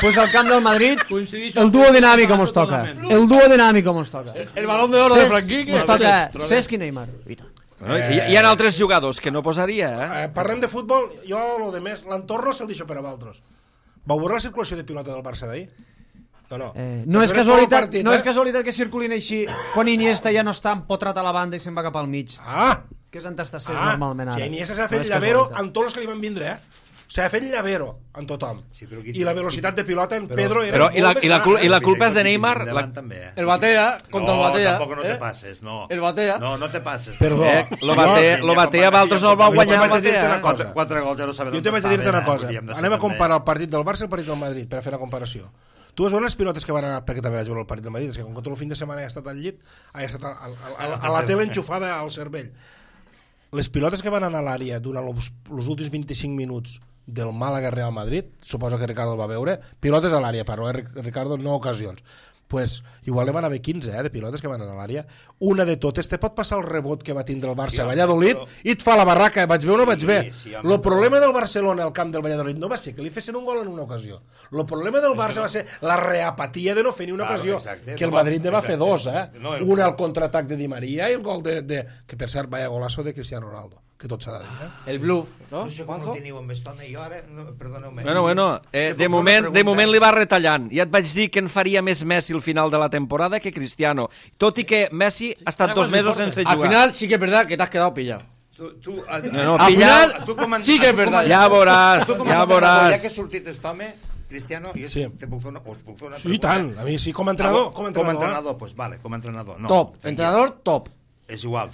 Pues al camp del Madrid, Coincidixo el dúo amb- dinàmic mos toca. totalment. El dúo dinàmic mos toca. El balón de oro de Cesc, Franquín. mos toca Trobes- Cesc i Neymar. Bueno, hi, hi ha altres jugadors que no posaria, eh? Eh, parlem de futbol, jo lo de més, l'entorno se'l deixo per a vosaltres. Vau veure la circulació de pilota del Barça d'ahir? No, no. Eh, no, és Veure tot el casualitat, partit, no eh? és casualitat que circulin així quan Iniesta ja no està empotrat a la banda i se'n va cap al mig. Ah! Que és on està sent Ah, normalment ara. si Iniesta s'ha No fet és llavero casualitat. amb tots els que li van vindre, eh? S'ha fet llavero amb tothom. Sí, però qui- I la velocitat de pilota en Però- Pedro era Però i la, molt més i la, cul gran, i eh? la culpa és de Mira, Neymar. endavant La, també, eh? El batea contra no, el batea. tampoc no ¿eh? te pases, no. El batea. No, no te pases. Perdó. eh, lo batea, lo batea Valtros el va Jo te guanyar vaig el a dir-te batea. una eh? cosa. Quatre, quatre gols ja no sabem Jo on te vaig a dir-te estaven, una eh? cosa. Hauríem de ser Anem a també. comparar el partit del Barça i el partit del Madrid, per a fer una comparació. Tu vas veure les pilotes que van anar, perquè també vaig veure el partit del Madrid, és que com que tot el fin de setmana he estat al llit, he estat a, a, a, a, a la tele enxufada al cervell. Les pilotes que van anar a l'àrea durant els, els últims vint-i-cinc minuts del Màlaga Real Madrid, suposo que Ricardo el va veure, pilotes a l'àrea, parlo, eh, Ricardo, no ocasions. Pues igual ne van haver quinze, eh, de pilotes que van anar a l'àrea. Una de totes te pot passar el rebot que va tindre el Barça Sí, a home, Valladolid però- i et fa la barraca, vaig veure o no Sí, vaig ver. sí, El home, però- problema del Barcelona al camp del Valladolid no va ser que li fessin un gol en una ocasió. El problema del Barça va ser la reapatia de no fer ni una Claro, ocasió, exacte. que el No, Madrid ne va fer exacte. dos, eh? No, el- Una al contraatac de Di Maria i el gol de, de... que per cert, vaya golazo de Cristiano Ronaldo, que tot s'ha de dir, eh? El bluff, ¿no? No sé com Juanjo? ho teniu amb estona i ara, no, perdoneu-me. Bueno, bueno, eh, de, moment, de moment li va retallant. Ja et vaig dir que en faria més Messi al final de la temporada que Cristiano. Tot i que Messi ha estat dos mesos sense Al jugar. final sí que es verdad que te has quedado pillado. Tu, tu, a, No, no, Al pillar- final tu com a- sí que es tu com a- verdad. Ja veuràs, tu com a ja entrenador, veuràs. Ja que ha sortit aquest home, Cristiano, jo Sí. te puc fer una, us puc fer una Sí, pregunta. tant. A mi sí, com a entrenador. Ah, Com a com a entrenador. entrenador, pues vale, com a entrenador. No, Top. tranquil. Entrenador, top. És igual.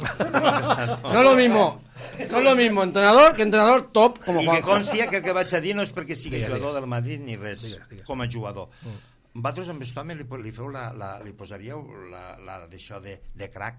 No es lo mismo. No es lo mismo entrenador que entrenador top como I que Juanjo. constia que el que vaig a dir no és perquè sigui Digues, jugador digues. del Madrid ni res, Digues, digues. com a jugador. Mm. Vosaltres amb aquest home li, li, feu la, la, li posaríeu la, la d'això de, de crack,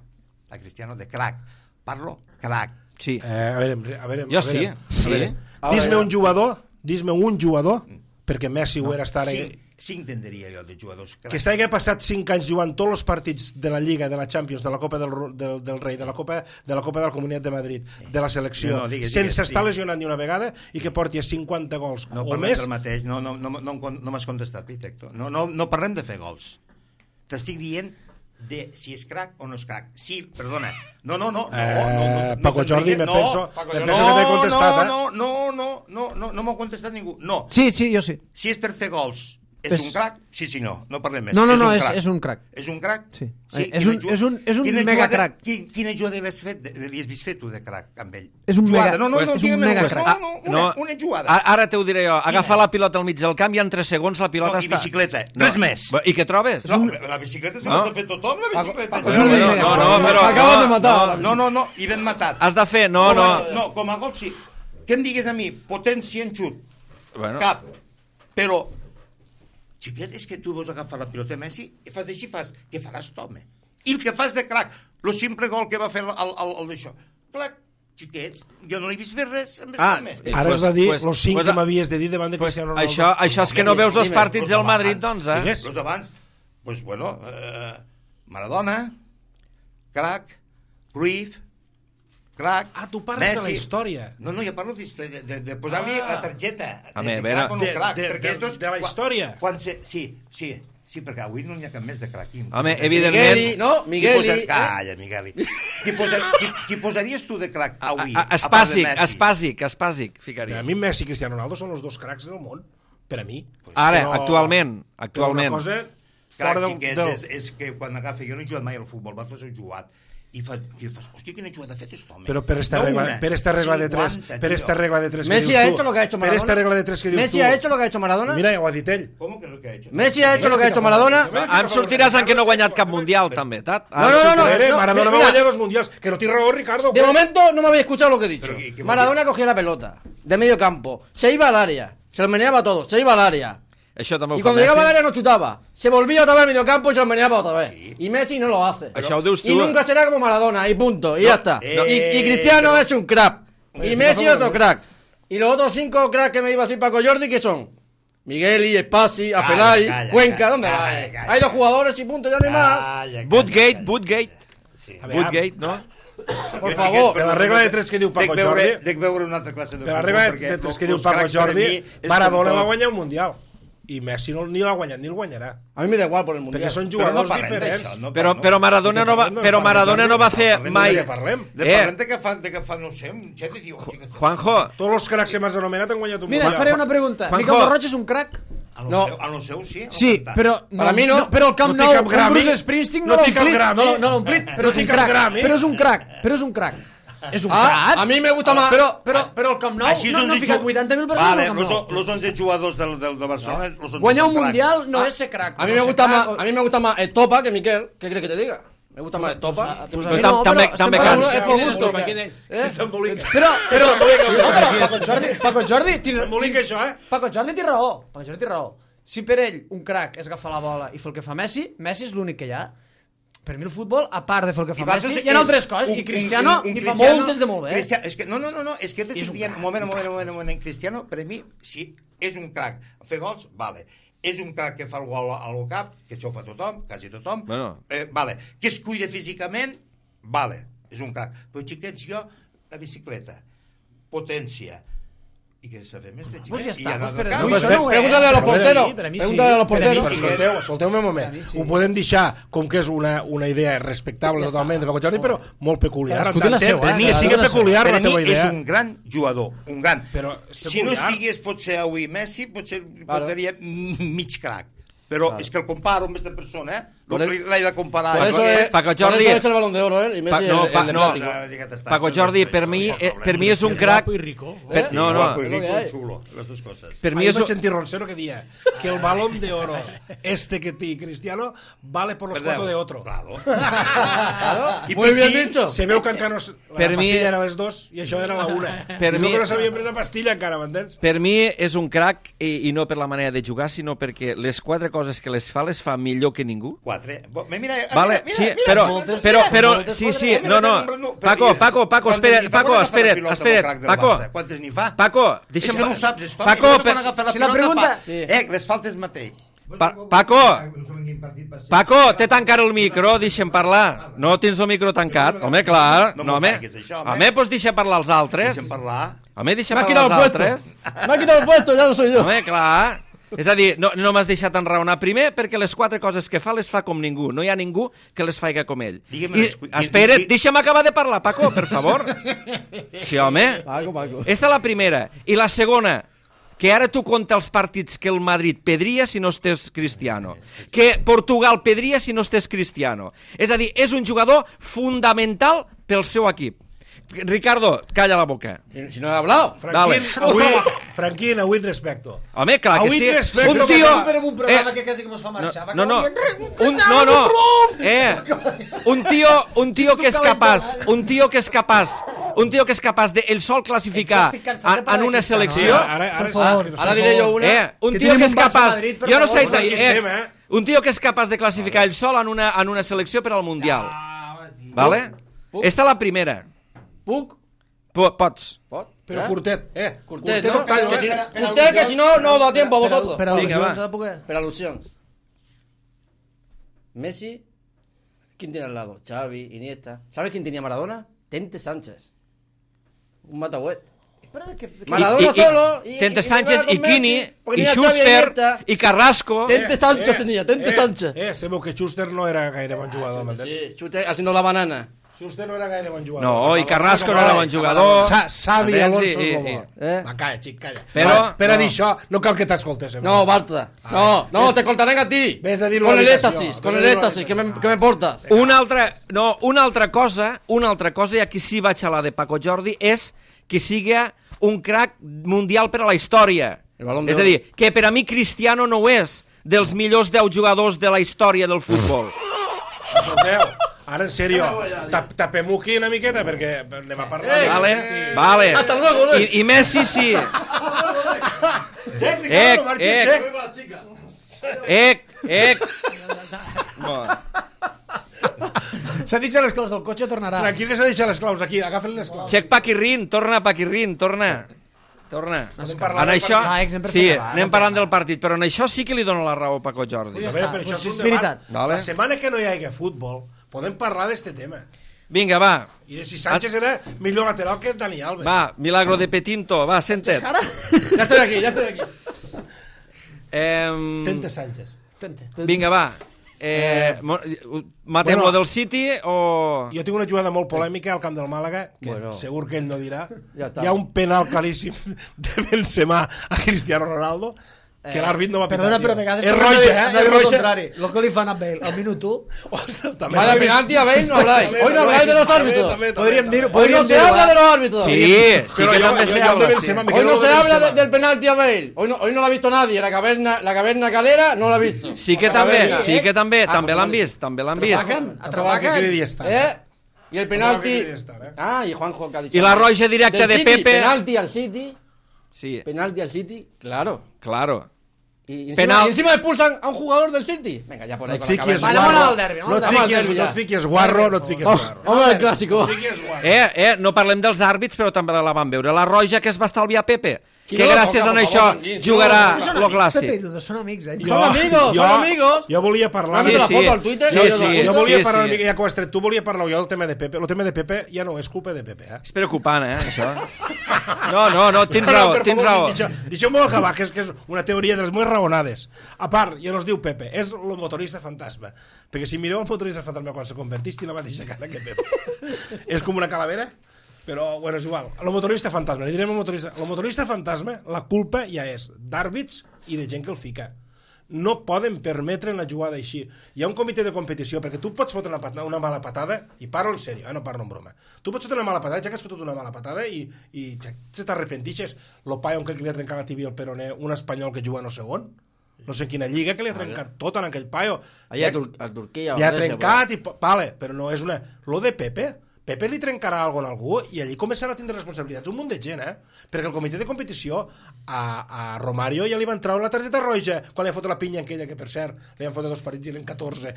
a Cristiano, de crack. Parlo? Crack. Sí. Eh, a veure, a veure, Jo a sí, veure, sí. A veure. Ara Dis-me ja. un jugador, dis-me un jugador, perquè Messi ho era estar... Cinc, cinc tindria jo de jugadors cracs. Que s'hagi passat cinc anys jugant tots els partits de la Lliga, de la Champions, de la Copa del, Ru- del, del Rei, de la Copa de la Copa de la Comunitat de Madrid, de la selecció, No, no, digues, sense digues, estar digues. lesionat ni una vegada i que porti a cinquanta gols No o parlem més. del mateix, no, no, no, no, no, no m'has contestat, Pitecto. No, no, no parlem de fer gols. T'estic dient de si és crac o no és crac. Sí, perdona. No, no, no. no, Eh, no, no Paco Jordi, me no, penso- Paco me Jordi. penso que t'he no, contestat, eh? no, no, no, no, no, no m'ho ha contestat ningú. No. Sí, sí, jo sí. Si és per fer gols, és, És- un crac? Sí, sí, no. No parlem més. No, no, és no, un és, crac. és un crac. És un crac? Sí. sí És quina un- ju- és un- és un quina mega jugada- crac. Quin, quina jugada l'has fet, li has vist fer tu de crac amb ell? És un jugada. mega- No, no, pues no, és un digue'm mega una, crac. no, no, una, una jugada. A- Ara t'ho diré jo. Agafa la pilota al mig del camp i en tres segons la pilota No, i està... bicicleta, res més. I què trobes? No, la bicicleta se No. l'ha fet tothom, la bicicleta. Paco No, Jordi, no, no, no, no, però... Acabas no, de matar. no. No, no, no, i ben matat. Has de fer... No, Com no. a- No, com a gol sí. Que em digues a mi, potència en xut, Bueno, cap, però, xiquet, és que tu vols agafar la pilota de Messi i fas així, fas, què faràs tu, home? I el que fas de crac, el simple gol que va fer el, el, el, el d'això, clac, xiquets, jo no l'he vist fer res amb Ah, més. eh, Ara Pues- has de dir pues- els cinc pues- que m'havies de dir davant de pues, Cristiano Ronaldo. això, això és que no veus els Dime, partits Los del d'abans, Madrid, doncs, eh? Digues. Els d'abans, pues bueno, eh, Maradona, crac, Cruyff, crac, Ah, tu parles de la història. No, no, jo parlo d'història, de, de posar-li Ah. la targeta. A de, veure, de crac o no de- crac. de- perquè de- estos, de la quan- història. Quan se, sí, sí, sí, perquè avui no n'hi ha cap més de crac. Qui- Home, qui- evidentment- Migueli, no, qui Migueli. posa- Calla, Migueli. Qui, posa, qui, qui posaries tu de crac avui? A- a- a part de Espàsic, Messi? espàsic, espàsic, Per ficaria. a mi Messi i Cristiano Ronaldo són els dos cracs del món. Per a mi. Ara, Però- actualment, però actualment. una cosa Crac, fora del... xiquets, del... és, és que quan agafa... Jo no he jugat mai al futbol, vosaltres heu jugat. I, fa, i fas, hòstia, quina jugada ha fet aquest home. Però per esta No regla, una, per esta regla de tres, cinquanta, per esta tio. regla de tres que Messi dius ha tu, hecho lo que ha hecho per Maradona. esta regla de tres que dius Messi tu. ha hecho lo que ha hecho Maradona. Mira, ja ho ha dit ell. Com que lo que ha hecho? Messi ha hecho lo que ha hecho Maradona. Em sortiràs en que no ha guanyat cap mundial, també, Tat? No, no, no, no. Mira, no, Maradona va mira. guanyar dos mundials. Que no té raó, Ricardo. De ¿qué? momento no me habéis escuchado lo que he dicho. Pero, ¿qué- qué Maradona cogía la pelota de medio campo, se iba al área, se lo meneaba todo, se iba al área. Això també ho Y fa cuando llegaba al Messi. área no chutaba. Se volvía otra vez al medio campo y se lo meneaba otra vez. Sí. Y Messi no lo hace. Això ho dius tu. Y nunca será como Maradona, y punto, y ya está. eh, y, y Cristiano pero- es un crack. Oye, Y Messi fíjate, otro crack. Y los otros cinco cracks que me iba a decir Paco Jordi, ¿qué son? Migueli, Espasi, Calla, Afelay, calla, Cuenca, calla, ¿dónde calla, va? calla. Hay dos jugadores y punto, ya no hay más. Calla, calla, Bootgate, calla. Bootgate, Sí. A veure, Bootgate, no? Por Jo, favor. xiquets, Per la regla de tres que diu Paco dec veure, Jordi- Dec veure una altra classe de Per la futbol, regla perquè de tres los- que diu los Paco cracs per a Jordi, mi és Maradona com va tot. guanyar un mundial. I Messi no, ni l'ha guanyat ni el guanyarà. A mí me da igual por el mundial. Perquè són Però no jugadors parlem diferents. d'això, no Però, parlem. però Maradona no va, però Maradona no va fer Parlem mai... de què parlem. De Eh. parlem de que fa, de que fa, no sé, un xet i diu... hòstia, que fa- Juanjo, Tots els cracs que m'has anomenat han guanyat un Mira, et mundial. faré una pregunta. Juanjo. Miquel Borroig és un crac? A lo No. seu, a lo seu sí. a lo Sí, cantant. però... Per a mi no. Però el Camp No té Nou, cap un Grammy. Bruce Springsteen No no l'ha té cap omplit. Grammy. No, no l'ha omplit, però No és té un cap crac. Grammy. Però és un crac, però és un crac. És un Ah, crac. a mí me gusta más. Però, però, però el Camp Nou Així no, no ha onze ficat ju- vuitanta mil persones Vale, al Camp los, Nou. los once jugadors del, del, de Barcelona... Los once Guanyar un són cracs. mundial no és ser crac. A mí no me ser gusta crac. más, a mí me gusta más Estopa que Miquel. ¿Qué quieres que te diga? Me gusta más Estopa. Pues a Però mi tam- no, també- però també estem cal- parlant- És por gusto, ¿para quién es? ¿Eh? S'embolica. Però, però, S'embolica. no, però Paco Jordi, Paco Jordi, tira, S'embolica això, eh? Paco Jordi té raó, Paco Jordi té raó. Si per ell un crac és agafar la bola i fer el que fa Messi, Messi és l'únic que hi ha. Per mi el futbol, a part de fer el que I fa vosaltres Messi, hi ha és altres coses, un- i Cristiano un- un n'hi fa Cristiano- moltes de molt bé. Cristiano, és que, no, no, no, no, és que jo És t'estic un dient, crac. un moment, un moment, un moment, un moment, Cristiano, per a mi, sí, és un crac. Fer gols, vale. És un crac que fa el gol al cap, que això ho fa tothom, quasi tothom, Bueno. eh, vale. Que es cuida físicament, vale, és un crac. Però xiquets, jo, la bicicleta, potència, i que s'ha fet més de xiquet. Pues ja i està, anar pues del per- camp. no, Pues això no ho és. pregúntale a los Per a mi, porteros. per a mi sí. Pregúntale a los Per a mi porteros. Però sí. escolteu, escolteu-me un moment. Ho podem deixar com que és una, una idea respectable totalment de Paco Jordi, però molt peculiar. Cadascú té la seva, Per eh? mi Cadascú sí té que la seva. peculiar Per la a mi teva és idea. un gran jugador, un gran. Però és si no peculiar. estigués potser avui Messi, potser vale. Seria mig crac. Però vale. És que el comparo amb aquesta persona, eh? Por el- L'he de comparar. Por eso es, Paco por Jordi- eso es el balón de oro, ¿eh? Y Messi Pa- no, el, pa- el de no. plástico. Paco Jordi, per mi, eh, per mi és un crac... Guapo y rico. Per, Sí, no, no, guapo y es lo rico que y hay. chulo, las dos cosas. per mi Ahí és vaig un... sentir Roncero que decía que el balón de oro este que té Cristiano vale por los cuatro de otro. Claro. Claro. I Muy per bien si- dicho. Se veu que encara no... s- La Per mi- pastilla era les dos i això era la una. Per Es mi- veu que no s'havia pres la pastilla encara, m'entens? Per mi és un crac i, i no per la manera de jugar, sinó perquè les quatre coses que les fa, les fa millor que ningú. Quatre. Bo- Mira, mira, Vale, mira, sí, mira, però, moltes- però, però, moltes sí, coses. sí, Mira, no, no, sempre no- Paco, però- Paco, Paco, Quantes espera't, n'hi fa Paco, quan agafa la espera't, pilota amb el espera't, crac del Paco, Barça? Quantes n'hi fa? Paco, És deixa'm... que no ho saps, és Paco, Paco, per- quan agafa la si la pilota pregunta- fa... Eh, les faltes mateix. Pa Paco, Paco, té tancar el micro, deixa'm parlar. No tens el micro tancat, home, clar. No No, m'ho home, facis, això, home. home, doncs deixa parlar els altres. Deixa'm parlar. Home, deixa Me ha parlar quitado el els puesto. altres. Me ha quitado el puesto, ya no soy yo. Home, clar. És a dir, no, no m'has deixat enraonar primer perquè les quatre coses que fa les fa com ningú. No hi ha ningú que les faiga com ell. Digue'm I, les- espera't, di- di- deixa'm acabar de parlar, Paco, per favor. Sí, home. Paco, Paco. Esta és la primera. I la segona, que ara tu compta els partits que el Madrid pedria si no estés Cristiano, que Portugal pedria si no estés Cristiano. És a dir, és un jugador fundamental pel seu equip. Ricardo, calla la boca. Si, si no he hablado. Franquín, Dale. avui, Franquín, avui et respecto. Home, clar que Avui sí. respecto Un que tio... va- Però en un programa Eh, que quasi que mos fa marxar. No, no, un, no, no, eh, un tio, un tio que és capaç, un tio que és capaç, un tio que és capaç de el sol classificar Estic cansat de en, parlar en una de Cristiano, selecció, Ara, ara, ara, Per favor. és que no Ahora sé. diré yo una. eh, un Que tio tenim que és un Barça capaç, Madrid, per jo no favor, sé, aquí estem, eh, eh? un tio que és capaç de classificar el sol en una, en una selecció per al Mundial, vale? Puc? Esta la primera, Puc. Po- pots. Pot. Però ¿Eh? curtet, eh? Curtet, no ¿no? em tallo, Que si- eh? Curtet, que si no, no da tiempo a vosotros. Per Vinga, al·lusions va. s'ha de poder. Pero alusión. Messi, ¿quién tiene al lado? Xavi, Iniesta. ¿Sabes quién tenía Maradona? Tente Sánchez. un matahuet. Que, que... Maradona I, i, solo. I, Tente Sánchez, i Quini, i Schuster, i Carrasco. Tente Sánchez tenia, Tente eh, Sánchez. Eh, sabeu que Schuster no era gaire bon jugador, m'entens? Sí, Schuster haciendo la banana. Schuster no era gaire bon jugador. No, i Carrasco no era bon jugador. Sa Savi Alonso és i, el i, bo. Eh? Va, calla, xic, calla. Però- Va, per a no. dir això, no cal que t'escoltes. No, Bartra. No, no, te cortarán a ti. Ves a dir-ho Con a el l'habitació. éxtasis, con Ves a el dir-ho a éxtasis, que me, l'habitació. que me portas. Una altra, no, una altra cosa, una altra cosa, i aquí sí vaig a la de Paco Jordi, és que sigui un crack mundial per a la història. El Balón de És a dir, que per a mi Cristiano no ho és dels millors deu jugadors de la història del futbol. Escolteu, ara en sèrio, tap, tapem-ho aquí una miqueta perquè anem a parlar. Eh, Vale, vale. Hasta luego, ¿no? I, I Messi sí. Jack, Ec, Ricardo, marxes, ec. Jack. Ec, ec. Bueno. S'ha dit a les claus del cotxe, tornarà. Tranquil, que s'ha deixat les claus aquí, agafen les claus. Xec Paquirrin, torna Paquirrin, torna. Torna. Podem parlar En del això, partit. Ah, exemple sí, per anem parlant del partit, però en això sí que li dono la raó a Paco Jordi. A veure, però això Pues és és un debat. veritat. Vale. La setmana que no hi hagi futbol, podem parlar d'este tema. Vinga, va. I de si Sánchez era millor lateral que Dani Alves. Va, Milagro de Petinto, va, senta't. Ya estoy aquí, ya estoy aquí. Eh, Tente Sánchez. vinga, va. Eh, mo- matem Bueno. lo del City o... Jo tinc una jugada molt polèmica al camp del Màlaga, que Bueno. segur que ell no dirà. Ja està. Hi ha un penal claríssim de Benzema a Cristiano Ronaldo, que l'àrbit no va pitar. Perdona, tio. però a vegades... És roja, eh? No És és roja. contrari. Lo que li fan a Bale al minut u... Ostres, també. Vaya penalti a Bale, no habláis. Hoy no habláis de los árbitros. Podríem dir-ho. Hoy no podríem se dir-ho, habla eh? de los árbitros. Sí, sí Però que jo- també jo- se jo el de habla, sí. Benzema me Hoy quedo no lo se de habla Benzema. de- del penalti a Bale. Hoy no, hoy no lo ha visto nadie. La caverna, la caverna calera no la ha visto. Sí que La també, caverna. sí que també, Ah, també pues l'han vale. vist, també l'han vist. Atrapacan, Tampoc que atrapacan. cridi estar. ¿Eh? Y el penalti. que quería estar, ¿eh? Ah, y Juanjo que ha dicho. Y la roja directa Del de City, Pepe. Penalti al City. Sí, Penalti al City, claro. claro. Y encima, Penal- y encima expulsan a un jugador del City. Venga, ya por No ahí et con la fiquis cabeza. Vale, guarro, vamos al derbi, vamos no et al derbi fiquis, ja. no et fiquis guarro, no et fiquis Oh, guarro. vamos al clásico. No et fiquis guarro. Eh, eh, no parlem dels àrbits, però també la van veure. La roja que es va estalviar Pepe, Sí, que no, gràcies por a favor, això tranquil, sí, jugarà no, Són lo amics, Pepe i clàssic. Dudu, són amics, eh? Son amigos, son amigos. Jo volia parlar... Mándate la sí. foto al Twitter. Sí, y yo sí. la- Jo volia Sí, parlar sí. una mica, ja que ho has tret, tu volia parlar jo del tema de Pepe. El tema de Pepe ja no és culpa de Pepe, eh? És preocupant, eh, això. No, no, no, tens No, no, raó, per tens favor, raó. deixa- Deixeu-m'ho acabar, que és, que és una teoria de les meves raonades. A part, ja no es diu Pepe, és el motorista fantasma. Perquè si mireu el motorista fantasma quan se convertís, té la mateixa cara que Pepe. És com una calavera, però, bueno, és igual. El motorista fantasma, li direm el motorista. El motorista fantasma, la culpa ja és d'àrbits i de gent que el fica. No poden permetre una jugada així. Hi ha un comitè de competició, perquè tu pots fotre una, patada, una mala patada, i parlo en sèrio, eh, no parlo en broma. Tu pots fotre una mala patada, ja que has fotut una mala patada, i, i ja se t'arrepentixes. Lo paio que li ha trencat la tibia al peroné, un espanyol que juga no sé on, no sé en quina lliga, que li ha trencat tot en aquell paio. Allá a, Tur a Turquía. Li ha o Grecia, trencat, i, vale, però no és una... Lo de Pepe, Pepe li trencarà alguna cosa a algú i allí començarà a tindre responsabilitats un munt de gent, eh? Perquè el comitè de competició a, a Romario ja li van treure la targeta roja quan li ha fotut la pinya aquella, que per cert li han fotut dos partits i l'en catorze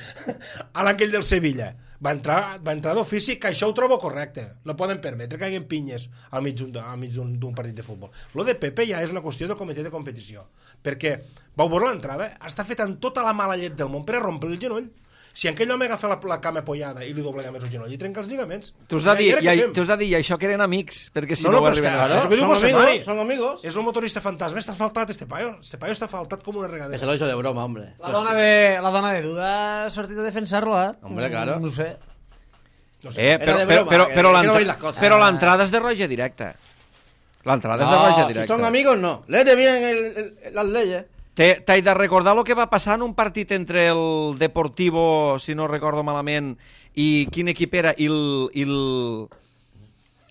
a l'anquell del Sevilla. Va entrar, va entrar d'ofici, que això ho trobo correcte. No poden permetre que hi hagi pinyes al mig d'un al mig d'un d'un partit de futbol. Lo de Pepe ja és una qüestió del comitè de competició, perquè vau veure l'entrada, està feta amb tota la mala llet del món per a rompre el genoll. Si aquell home agafa la, la cama apoyada i li doblega més el genoll i trenca els lligaments... T'us de dir, ja, ja, i, què fem? t'us de dir, i això que eren amics, perquè si No, no, no, ho però és que- arriben a Claro, ser. que diu son Bosemani. amigos, son amigos. És un motorista fantasma, està faltat este paio. Este paio està faltat com una Que regadera. se lo hizo de broma, hombre. La dona de, la dona de Duda ha sortit a defensar-lo, eh? Hombre, claro. No ho sé. No sé. Eh, Era però, de però, broma, però, que- però, que no l'entra- veis las cosas. però l'entrada és de roja directa. L'entrada és de roja No, directa. si son amigos, no. Léete bien el, el, las leyes. Te- T'he de recordar el que va passar en un partit entre el Deportivo, si no recordo malament, i quin equip era, i, el, i, el,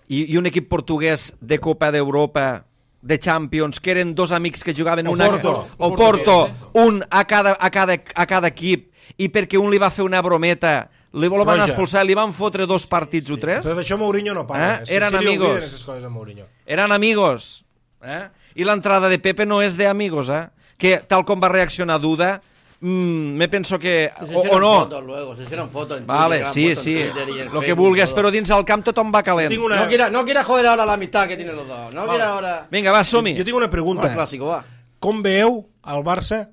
i, i un equip portuguès de Copa d'Europa, de Champions, que eren dos amics que jugaven O una, Porto. o Porto, un a cada, a, cada, a cada equip, i perquè un li va fer una brometa, li van Roja. expulsar, li van fotre dos partits o tres, Però d'això Mourinho no parla. Eh? Si- Eren si li amigos. olviden aquestes coses a Mourinho. eren amigos. Eh? I l'entrada de Pepe no és de amigos, eh? Que tal com va reaccionar Duda, mmm, me penso que... Se O, o hicieron no. fotos luego, se hicieron fotos en Vale, Twitter, sí, que han sí. puesto en Twitter y en Lo que Facebook, vulgues, todo. però dins el camp tothom va calent. Tinc una... No quiera, no quiera joder ahora la amistad que tienen los dos. No quiera ahora... Vinga, va, som-hi. Jo tinc una Un pregunta. clásico, va. Com veieu el Barça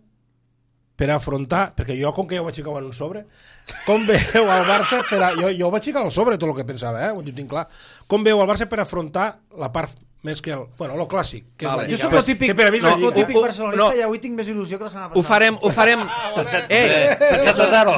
per afrontar, perquè jo, com que jo vaig ficar en un sobre, com veu el Barça, per a, jo, jo vaig ficar al sobre tot el que pensava, eh? Ho tinc clar. Com veu el Barça per afrontar la part més que el... Bueno, lo clàssic, que és Vale. la Jo Lliga. soc el típic, Que per a mi és la no, Lliga. el típic Uh, uh, barcelonista no. i avui tinc més il·lusió que la setmana passada. Ho farem, ho farem... Eh, Per set a zero.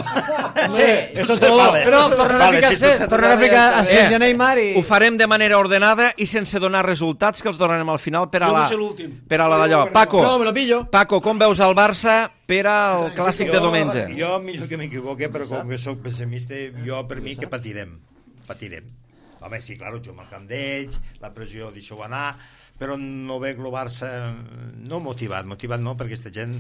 Sí, Eso es todo. vale. Però tornarà Vale, a ficar si tu set, set tornarà a a zero ficar ja a està. sis i a Neymar i... ho farem de manera ordenada i sense donar resultats, que els donarem al final per a Jo la... vull ser l'últim. Per a la d'allò. Jo, Paco, No, me lo pillo. Paco, com veus el Barça per al clàssic de diumenge? Jo, millor que m'equivoque, però com que sóc pessimista, jo per mi que patirem. Patirem. Home, sí, clar, juguem al camp d'ells, la pressió deixo anar, però no veig el Barça no motivat, motivat no, perquè aquesta gent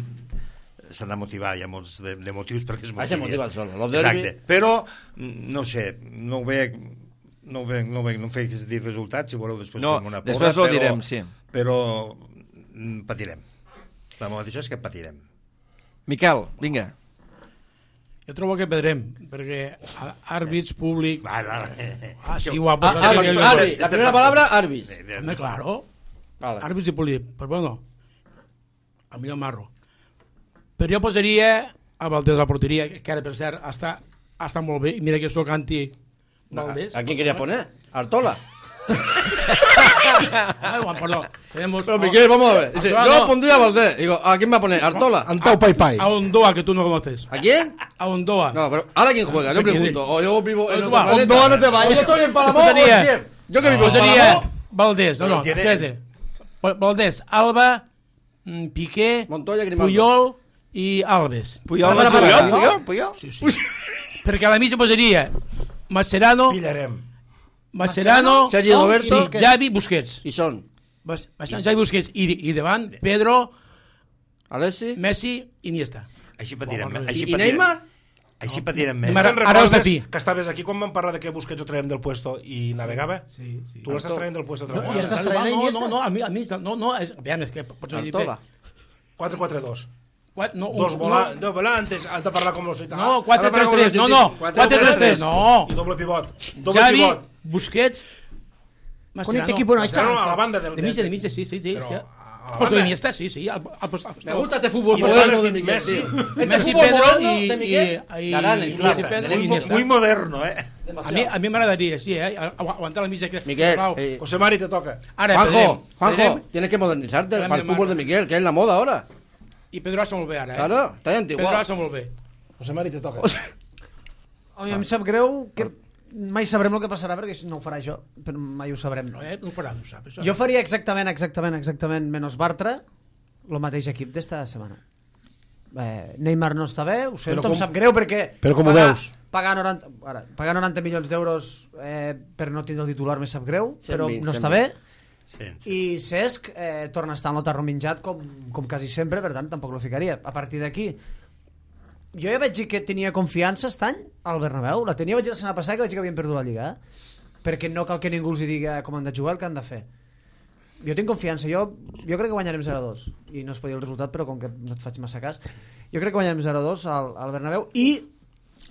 s'han de motivar, hi ha molts de, de motius perquè es Ah, se motivi. motiva el solo. Los derbi... Exacte, però no sé, no ho veig no ho veig, no ho veig, no em faig dir resultats, si voleu després No, fem una després porra, ho direm, sí. Però mm, patirem. La meva això és que patirem. Miquel, vinga. Jo trobo que perdrem, perquè a- àrbits, públic... Va, va, Ah, sí, Jo- guapo. Ah, Ah, Arbi, Arbi. La primera palabra, Arbis. Home, claro. Vale. Àrbits i públic. Però bueno, el millor marro. Però jo posaria a Valdés a la porteria, que ara, per cert, està, està molt bé. I mira que sóc anti Valdés. ¿A quién querías poner? ¿Artola? Ah, bueno, perdón. Tenemos... Pero Miguel, vamos a ver. Dice, Artola yo no. pondría a Valdés. Digo, ¿a quién va a poner? ¿Artola? Antau Pai Pai. A Ondoa, que tú no conoces. ¿A quién? A Ondoa. No, pero ¿ahora quién juega? Yo Sí, sí, pregunto. sí. O yo vivo en Pues otro va, planeta. Ondoa no te vayas. O yo estoy en Palamó. Pues sería- o en Kiev. Yo que vivo en Sería Palamó. Valdés, no, Pero no, tiene- espérate. Valdés, Alba, mm, Piqué, Montoya, Grimaldo. Puyol i Alves. Puyol Para, no para, juga. para. Puyol, Puyol. Sí, sí. Perquè a la mitja posaria Mascherano, Pillarem. Mascherano, Sergi Roberto. i Xavi Busquets. Y son Bas- Bastant Xavi Busquets i, i davant Pedro, Alessi. Messi i Iniesta. Així patirem. Bueno, Així ¿Y, y patirem. Neymar? Així patirem més. Neymar- Te'n Ara us recordes d'aquí. que estaves aquí quan vam parlar de que Busquets ho traiem del puesto i navegava? Sí, sí. Tu l'estàs traient del puesto otra No, vegada. ja estàs traient a no, Iniesta? no, no, a mi, a mi no, no, és, aviam, és que pots dir bé. Artola. quatre quatre dos. Qua- No, Dos, un- vola, no, dos volantes, has de parlar com los italians. No, quatre tres tres, no, no, quatre tres tres, no. I doble pivot. Doble Xavi, pivot. Busquets, Con este equipo no está. Mascherano a la banda del... De mitja, de mitja, sí, sí, sí. Però sí. a la Pues banda. de Iniesta, sí, sí. Al, al, al, Me gusta este fútbol Y moderno después de Miguel, Messi. tío. Este Messi, fútbol Pedro moderno y- de Miguel. y- y- Garane, y- Iniesta. y Pedro Tenemos y Iniesta. Muy moderno, eh? A mi, a mi m'agradaria, sí, eh? agu- Aguantar la mitja. Que, Miguel, Clau. eh, José Mari, te toca. Ara, Juanjo, perdrem, Juanjo, perdrem, tienes que modernizarte Dame para el la fútbol de mano. Miguel, que es la moda ahora. I Pedro Alça molt bé, ara, eh? Claro, está Pedro antiguo. Alça molt bé. José Mari, te toca. A mi em sap greu que mai sabrem el que passarà perquè no ho farà això, però mai ho sabrem. No, eh? No ho farà, no ho sap. Això. Jo faria exactament, exactament, exactament menys Bartra, el mateix equip d'esta setmana. Eh, Neymar no està bé, ho sento, com- em sap greu perquè... però com ho pagar- veus? Pagar noranta, ara, pagar noranta milions d'euros eh, per no tindre el titular me sap greu, cent però vint, no cent està vint. bé. Sí, sí. I Cesc eh, torna a estar en el tarro menjat com, com quasi sempre, per tant tampoc lo ficaria. A partir d'aquí, jo ja vaig dir que tenia confiança aquest any al Bernabéu, la tenia, vaig dir la setmana passada que vaig dir que havien perdut la Lliga, eh? Perquè no cal que ningú els hi diga com han de jugar, el que han de fer. Jo tinc confiança, jo, jo crec que guanyarem zero a dos, i no es pot dir el resultat, però com que no et faig massa cas, jo crec que guanyarem zero a dos al, al Bernabéu, i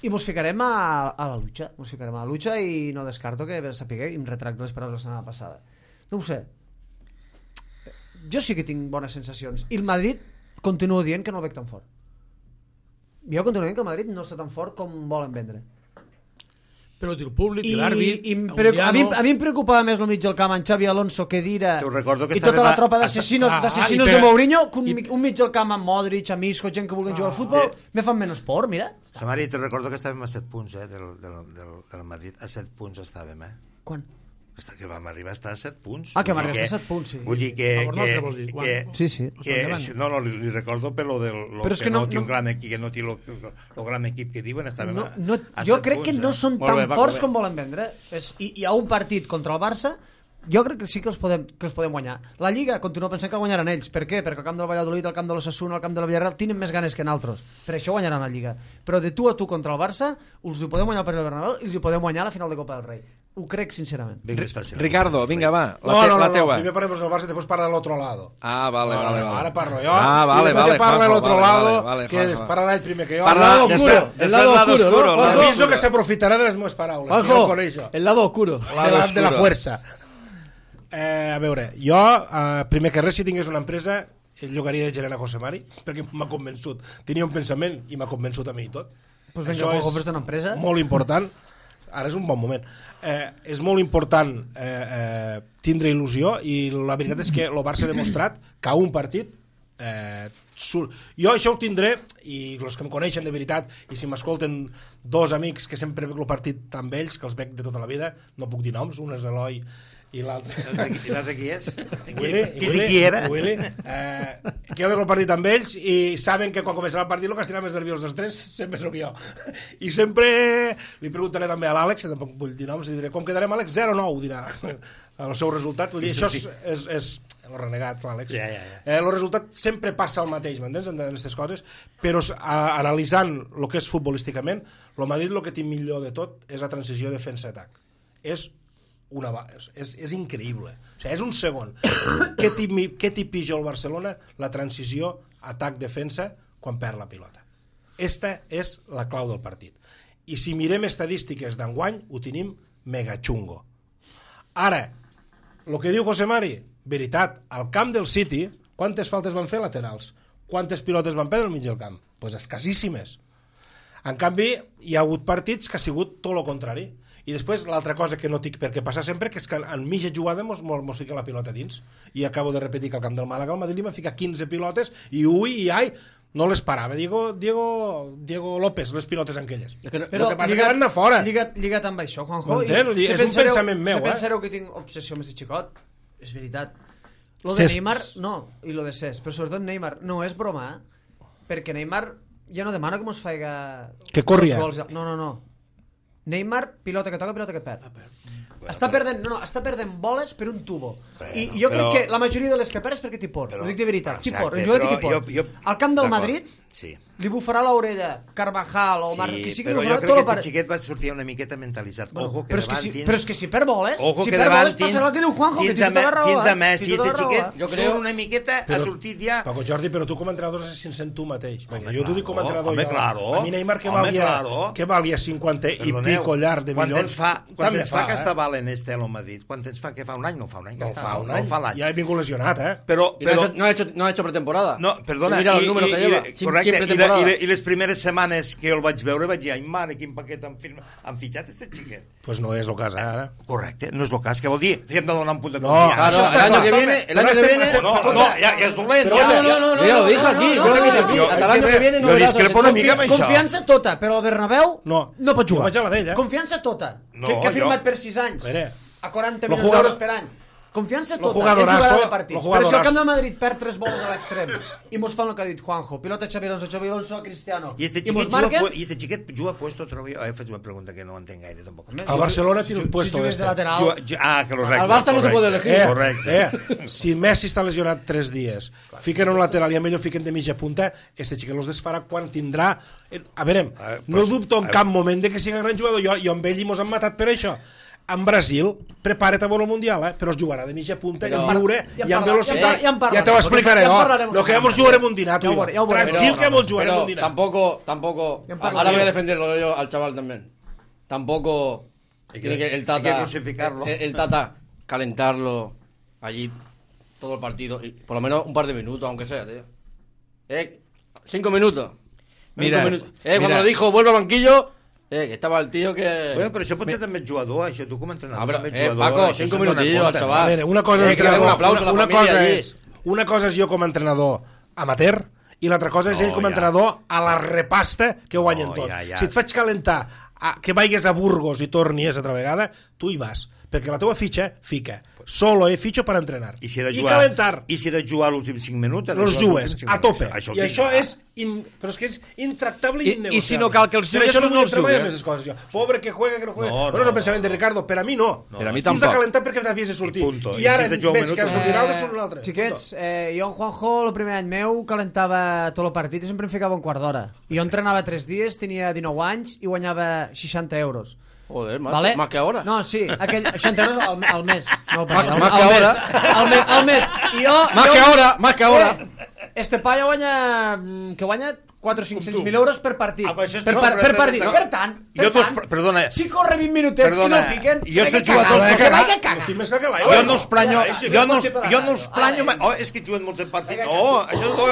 i mos ficarem a, a la lucha, mos ficarem a la lucha i no descarto que sapigueu, i em retracto les paraules la setmana passada. No ho sé, jo sí que tinc bones sensacions i el Madrid continuo dient que no el veig tan fort. Jo continuo dient que el Madrid no està tan fort com volen vendre. Però el públic, I, l'àrbit, i em pre- a, mi, a mi em preocupava més el mig del camp en Xavi Alonso, Kedira Te ho recordo que i tota estava- la tropa a- d'assassinos Ah, d'assassinos i de per- Mourinho que un, i- mi- un mig del camp amb Modric, amb Isco, gent que vulguen jugar al futbol me fan menys por, mira. Samari, te recordo que estàvem a set punts, eh, del, del, del, del Madrid. A set punts estàvem, eh? Quan? Està, que vam arribar a estar a set punts. Ah, que Vull vam dir arribar a set punts, sí. Vull dir que... A por que, nostre, vols dir, que, quan? Sí, sí. que Endavant. això- no, no, li, li recordo per lo del lo Però és que, que no, no- té un no- gran equip, que no té lo, lo gran equip que diuen, estàvem No, a, no, a jo set crec punts, que no eh? són Molt tan bé, Paco, forts bé. com volen vendre. És, i, hi ha un partit contra el Barça, jo crec que sí que els podem, que els podem guanyar. La Lliga continuo pensant que guanyaran ells. Per què? Perquè el camp del Valladolid, el camp de l'Osasuna, el camp de la Villarreal tenen més ganes que nosaltres. Per això guanyaran la Lliga. Però de tu a tu contra el Barça, us ho podem guanyar per el Bernabéu i els hi podem guanyar a la final de Copa del Rei. Ho crec sincerament. Ben més fàcil. Ricardo, vinga, va, la, No, te, no, no, la no, teua. primer parlemos del Barça y después para el otro lado. Ah, vale, No, no, vale, no, vale. ahora parlo yo. Ah, y vale, después vale, ya parla el Juanjo, otro vale, lado, vale, vale, que Juanjo. parlarà el primer que jo. Parla- El lado des- oscuro, des- el lado lado oscuro, oscuro, ¿no? el lado Juanjo? Aviso que s'aprofitarà de les meves paraules. que jo Juanjo, coneixo. el lado oscuro. de la, de la oscuro. fuerza. Eh, a veure, jo, eh, primer que res, si tingués una empresa, llogaria de gerent a José Mari, perquè m'ha convençut. Tenia un pensament i m'ha convençut a mi i tot. Pues venga, Això Juanjo, és fes-te una empresa. molt important. Ara és un bon moment. Eh, és molt important eh, eh, tindre il·lusió i la veritat és que el Barça ha demostrat que a un partit eh, surt. Jo això ho tindré i els que em coneixen de veritat i si m'escolten dos amics que sempre veig el partit amb ells, que els veig de tota la vida, no puc dir noms, un és l'Eloi i l'altre I l'altre qui és? Willy, Qui, Willy, qui era? Willy, eh, que jo veig el partit amb ells i saben que quan començarà el partit el que estirà més nerviós dels tres sempre sóc jo i sempre li preguntaré també a l'Àlex, que tampoc vull dir noms, i diré com quedarem Àlex, zero nou dirà el seu resultat, vull dir, això és, és, és el renegat l'Àlex ja, ja, ja. Eh, el resultat sempre passa el mateix, m'entens, en aquestes coses, però a, analitzant el que és futbolísticament, el Madrid el que té millor de tot és la transició defensa-atac, és una és, és, és increïble, o sigui, és un segon. Què t'hi pitja el Barcelona? La transició atac-defensa quan perd la pilota. Esta és la clau del partit. I si mirem estadístiques d'enguany, ho tenim mega xungo. Ara, el que diu José Mari, veritat, al camp del City, quantes faltes van fer laterals? Quantes pilotes van perdre al mig del camp? Doncs pues escassíssimes. En canvi, hi ha hagut partits que ha sigut tot el contrari. I després l'altra cosa que no tinc per què passar sempre, que és que en mitja jugada mos, mos fica la pilota dins. I acabo de repetir que al camp del Màlaga al Madrid li van ficar quinze pilotes i ui i ai, no les parava. Diego, Diego, Diego López, les pilotes aquelles. Però el que passa lligat, que van anar fora. Lligat, lligat amb això, Juanjo. M'entens? I, És un pensareu, pensament meu, si eh? pensareu que tinc obsessió amb aquest xicot, és veritat. Lo de Cesc. Neymar, no, i lo de Cesc, però sobretot Neymar, no és broma, eh? Perquè Neymar ja no demana que mos faiga... Que corria. Gols. No, no, no. Neymar, pilota que toca, pilota que perd. Està perdent, no, no, està perdent boles per un tubo. Bueno, I jo crec però- que la majoria de les que perd és perquè t'hi por. Però- Ho dic de veritat, t'hi por. Exacte, El jugador però t'hi por. jo- jo- Al camp del d'acord, Madrid sí. li bufarà l'orella Carvajal o Mar... qui Sí, sigui, però li jo bufarà crec tot que el este pare- xiquet va sortir una miqueta mentalitzat. Ojo, que però, és que davant si, tens... però és que si perd boles, Ojo si que perd davant boles tens... passarà el que diu Juanjo, que tens té a, tota la raó. tens a eh? Messi, Té tota este la raó, xiquet eh? Jo creo- surt una miqueta, ha sortit ja... Paco Jordi, però tu com a entrenador has de ser sincero tu mateix. Perquè Home, jo t'ho dic com a claro, entrenador. home, jo. claro. A mi Neymar que Home, valia, claro. que valia cinquanta i Perdoneu, pico llarg de quan milions. temps fa, quan també temps fa que eh? està valent este a Madrid? Quan temps fa que fa un any? No fa un any que No està, fa un no any. fa l'any. Ja he vingut lesionat, eh? Però, Y no, però, ha hecho, no, ha hecho, no ha hecho pretemporada. no, perdona, Y mira los i, números i, que i, lleva. i, sin, correcte, sin i, la, pretemporada. i, la, i les primeres setmanes que el vaig veure vaig dir, ai mare, quin paquet han, firma, han fitxat este xiquet. Pues no és el cas, eh, ara. Correcte, no és el cas, que vol dir? Li hem de donar un punt de No, confiança. Claro, Això el està año clar. que viene, el Però año que estem- viene... estem- No, no, ja, ja és dolent. Pero ja, no, ja. no, no, yo ya lo dije aquí, yo lo dije aquí. Yo- Hasta el año que viene no yo verás discrepo una los- mica amb això. Confiança tota, però al Bernabéu No. no pot Jo jugar. vaig a la d'ell, eh? Confiança tota, No, que, que ha jo- firmat per sis anys, A veure, a quaranta Lo milions jugador- d'euros per any. Confiança Lo tota, jugadorazo- ell jugarà de lo partits. Però si jugadorazo. el camp del Madrid perd tres boles a l'extrem i mos fan el que ha dit Juanjo, pilota Xabi Alonso, Xabi Alonso a Cristiano, I este i mos xiquet juga, marquen... pu- i este xiquet juga puesto otra vez. Eh, faig una pregunta que no entenc gaire tampoc. Home, el si- Barcelona si- tiene un si puesto jugués este. de lateral. Juga, ju- ah, que correcte. Al Barça no se puede elegir. Eh, Correcte. eh, si Messi està lesionat tres dies, fiquen un lateral i a millor fiquen de mitja punta, este xiquet los desfarà quan tindrà... Eh, A veure, Eh, no pues, dubto en eh, cap moment de que sigui gran jugador, jo, jo amb ell i mos han matat per això. En Brasil, prepara't a veure el Mundial, eh? però es jugarà de mitja punta, Però- lliure Ja en i amb parla- velocitat. ja en- ja en parlarem. Ja te ho explicaré, Ja en jo. parlarem. Lo que ja mos jugarem un dinar, tu Ja ho i jo. veurem, ja ho veurem. Tranquil que mos jugarem Pero un dinar. tampoco, tampoco. Ya en Ahora voy a defenderlo yo al chaval también. Tampoco Hay que- tiene que el hay que Tata, crucificarlo. el, el Tata calentarlo allí todo el partido y por lo menos un par de minutos, aunque sea, tío. Eh, cinco minutos. Mira, Cinco minutos. Eh, cuando mira. lo dijo vuelve al banquillo, eh, que estaba el tío que. Bueno, però això potser també és jugador, això tu com a entrenador Ah, però, també ets eh, jugador. Paco, això cinco se'n dona minutillos al compte, chaval. A veure, una cosa, Eh, és que le haga un entrenador, aplauso a una, la una familia cosa allí. és una cosa és jo com a entrenador amateur i l'altra cosa és No, ell com a ja. entrenador a la repasta que guanyen No, tot. ja, ja. Si et faig calentar a, que vagis a Burgos i tornis altra vegada, tu hi vas, perquè la teva fitxa fica solo he fitxo per entrenar I si he de i jugar, calentar i si he de jugar l'últim cinc minuts, he de els jugar jugues l'últim cinc a tope minuts. Això ho i tinc això clar. és in... però és que és intractable i I- i innegociable. si no cal que els Per jugues, això no pues vull no els entrar mai en jugues. aquestes coses jo. Pobre que juega, que no juega No, bueno, no, és el no. pensament de Ricardo, per a mi no, Per a mi tu has de tampoc. calentar perquè t'havies de sortir I punto. i I ara si te juega un veig que minut, ha sortit Eh, l'altre surt l'altre. Xiquets, eh, jo en Juanjo el primer any meu calentava tot el partit i sempre em ficava un quart d'hora. I jo entrenava tres dies, tenia dinou anys i guanyava seixanta euros. Joder, macho, Vale? más que ahora. No, sí, aquell, seixanta euros al, al mes. No, Más- al, más al que mes, ahora. Al mes, al mes. I jo, Más jo, que ahora, más que ahora. Eh, este paio guanya... que guanya quatre o cinc-cents mil euros per partit. Ah, per, per, per, per partit. Per tant, per jo tant, perdona, si corre vint minutets perdona, i no el fiquen... jo estic jugador... Que vaig que caga. Jo no els planyo... Jo no els, jo no els planyo... Oh, és que juguen molts partits. No, això no...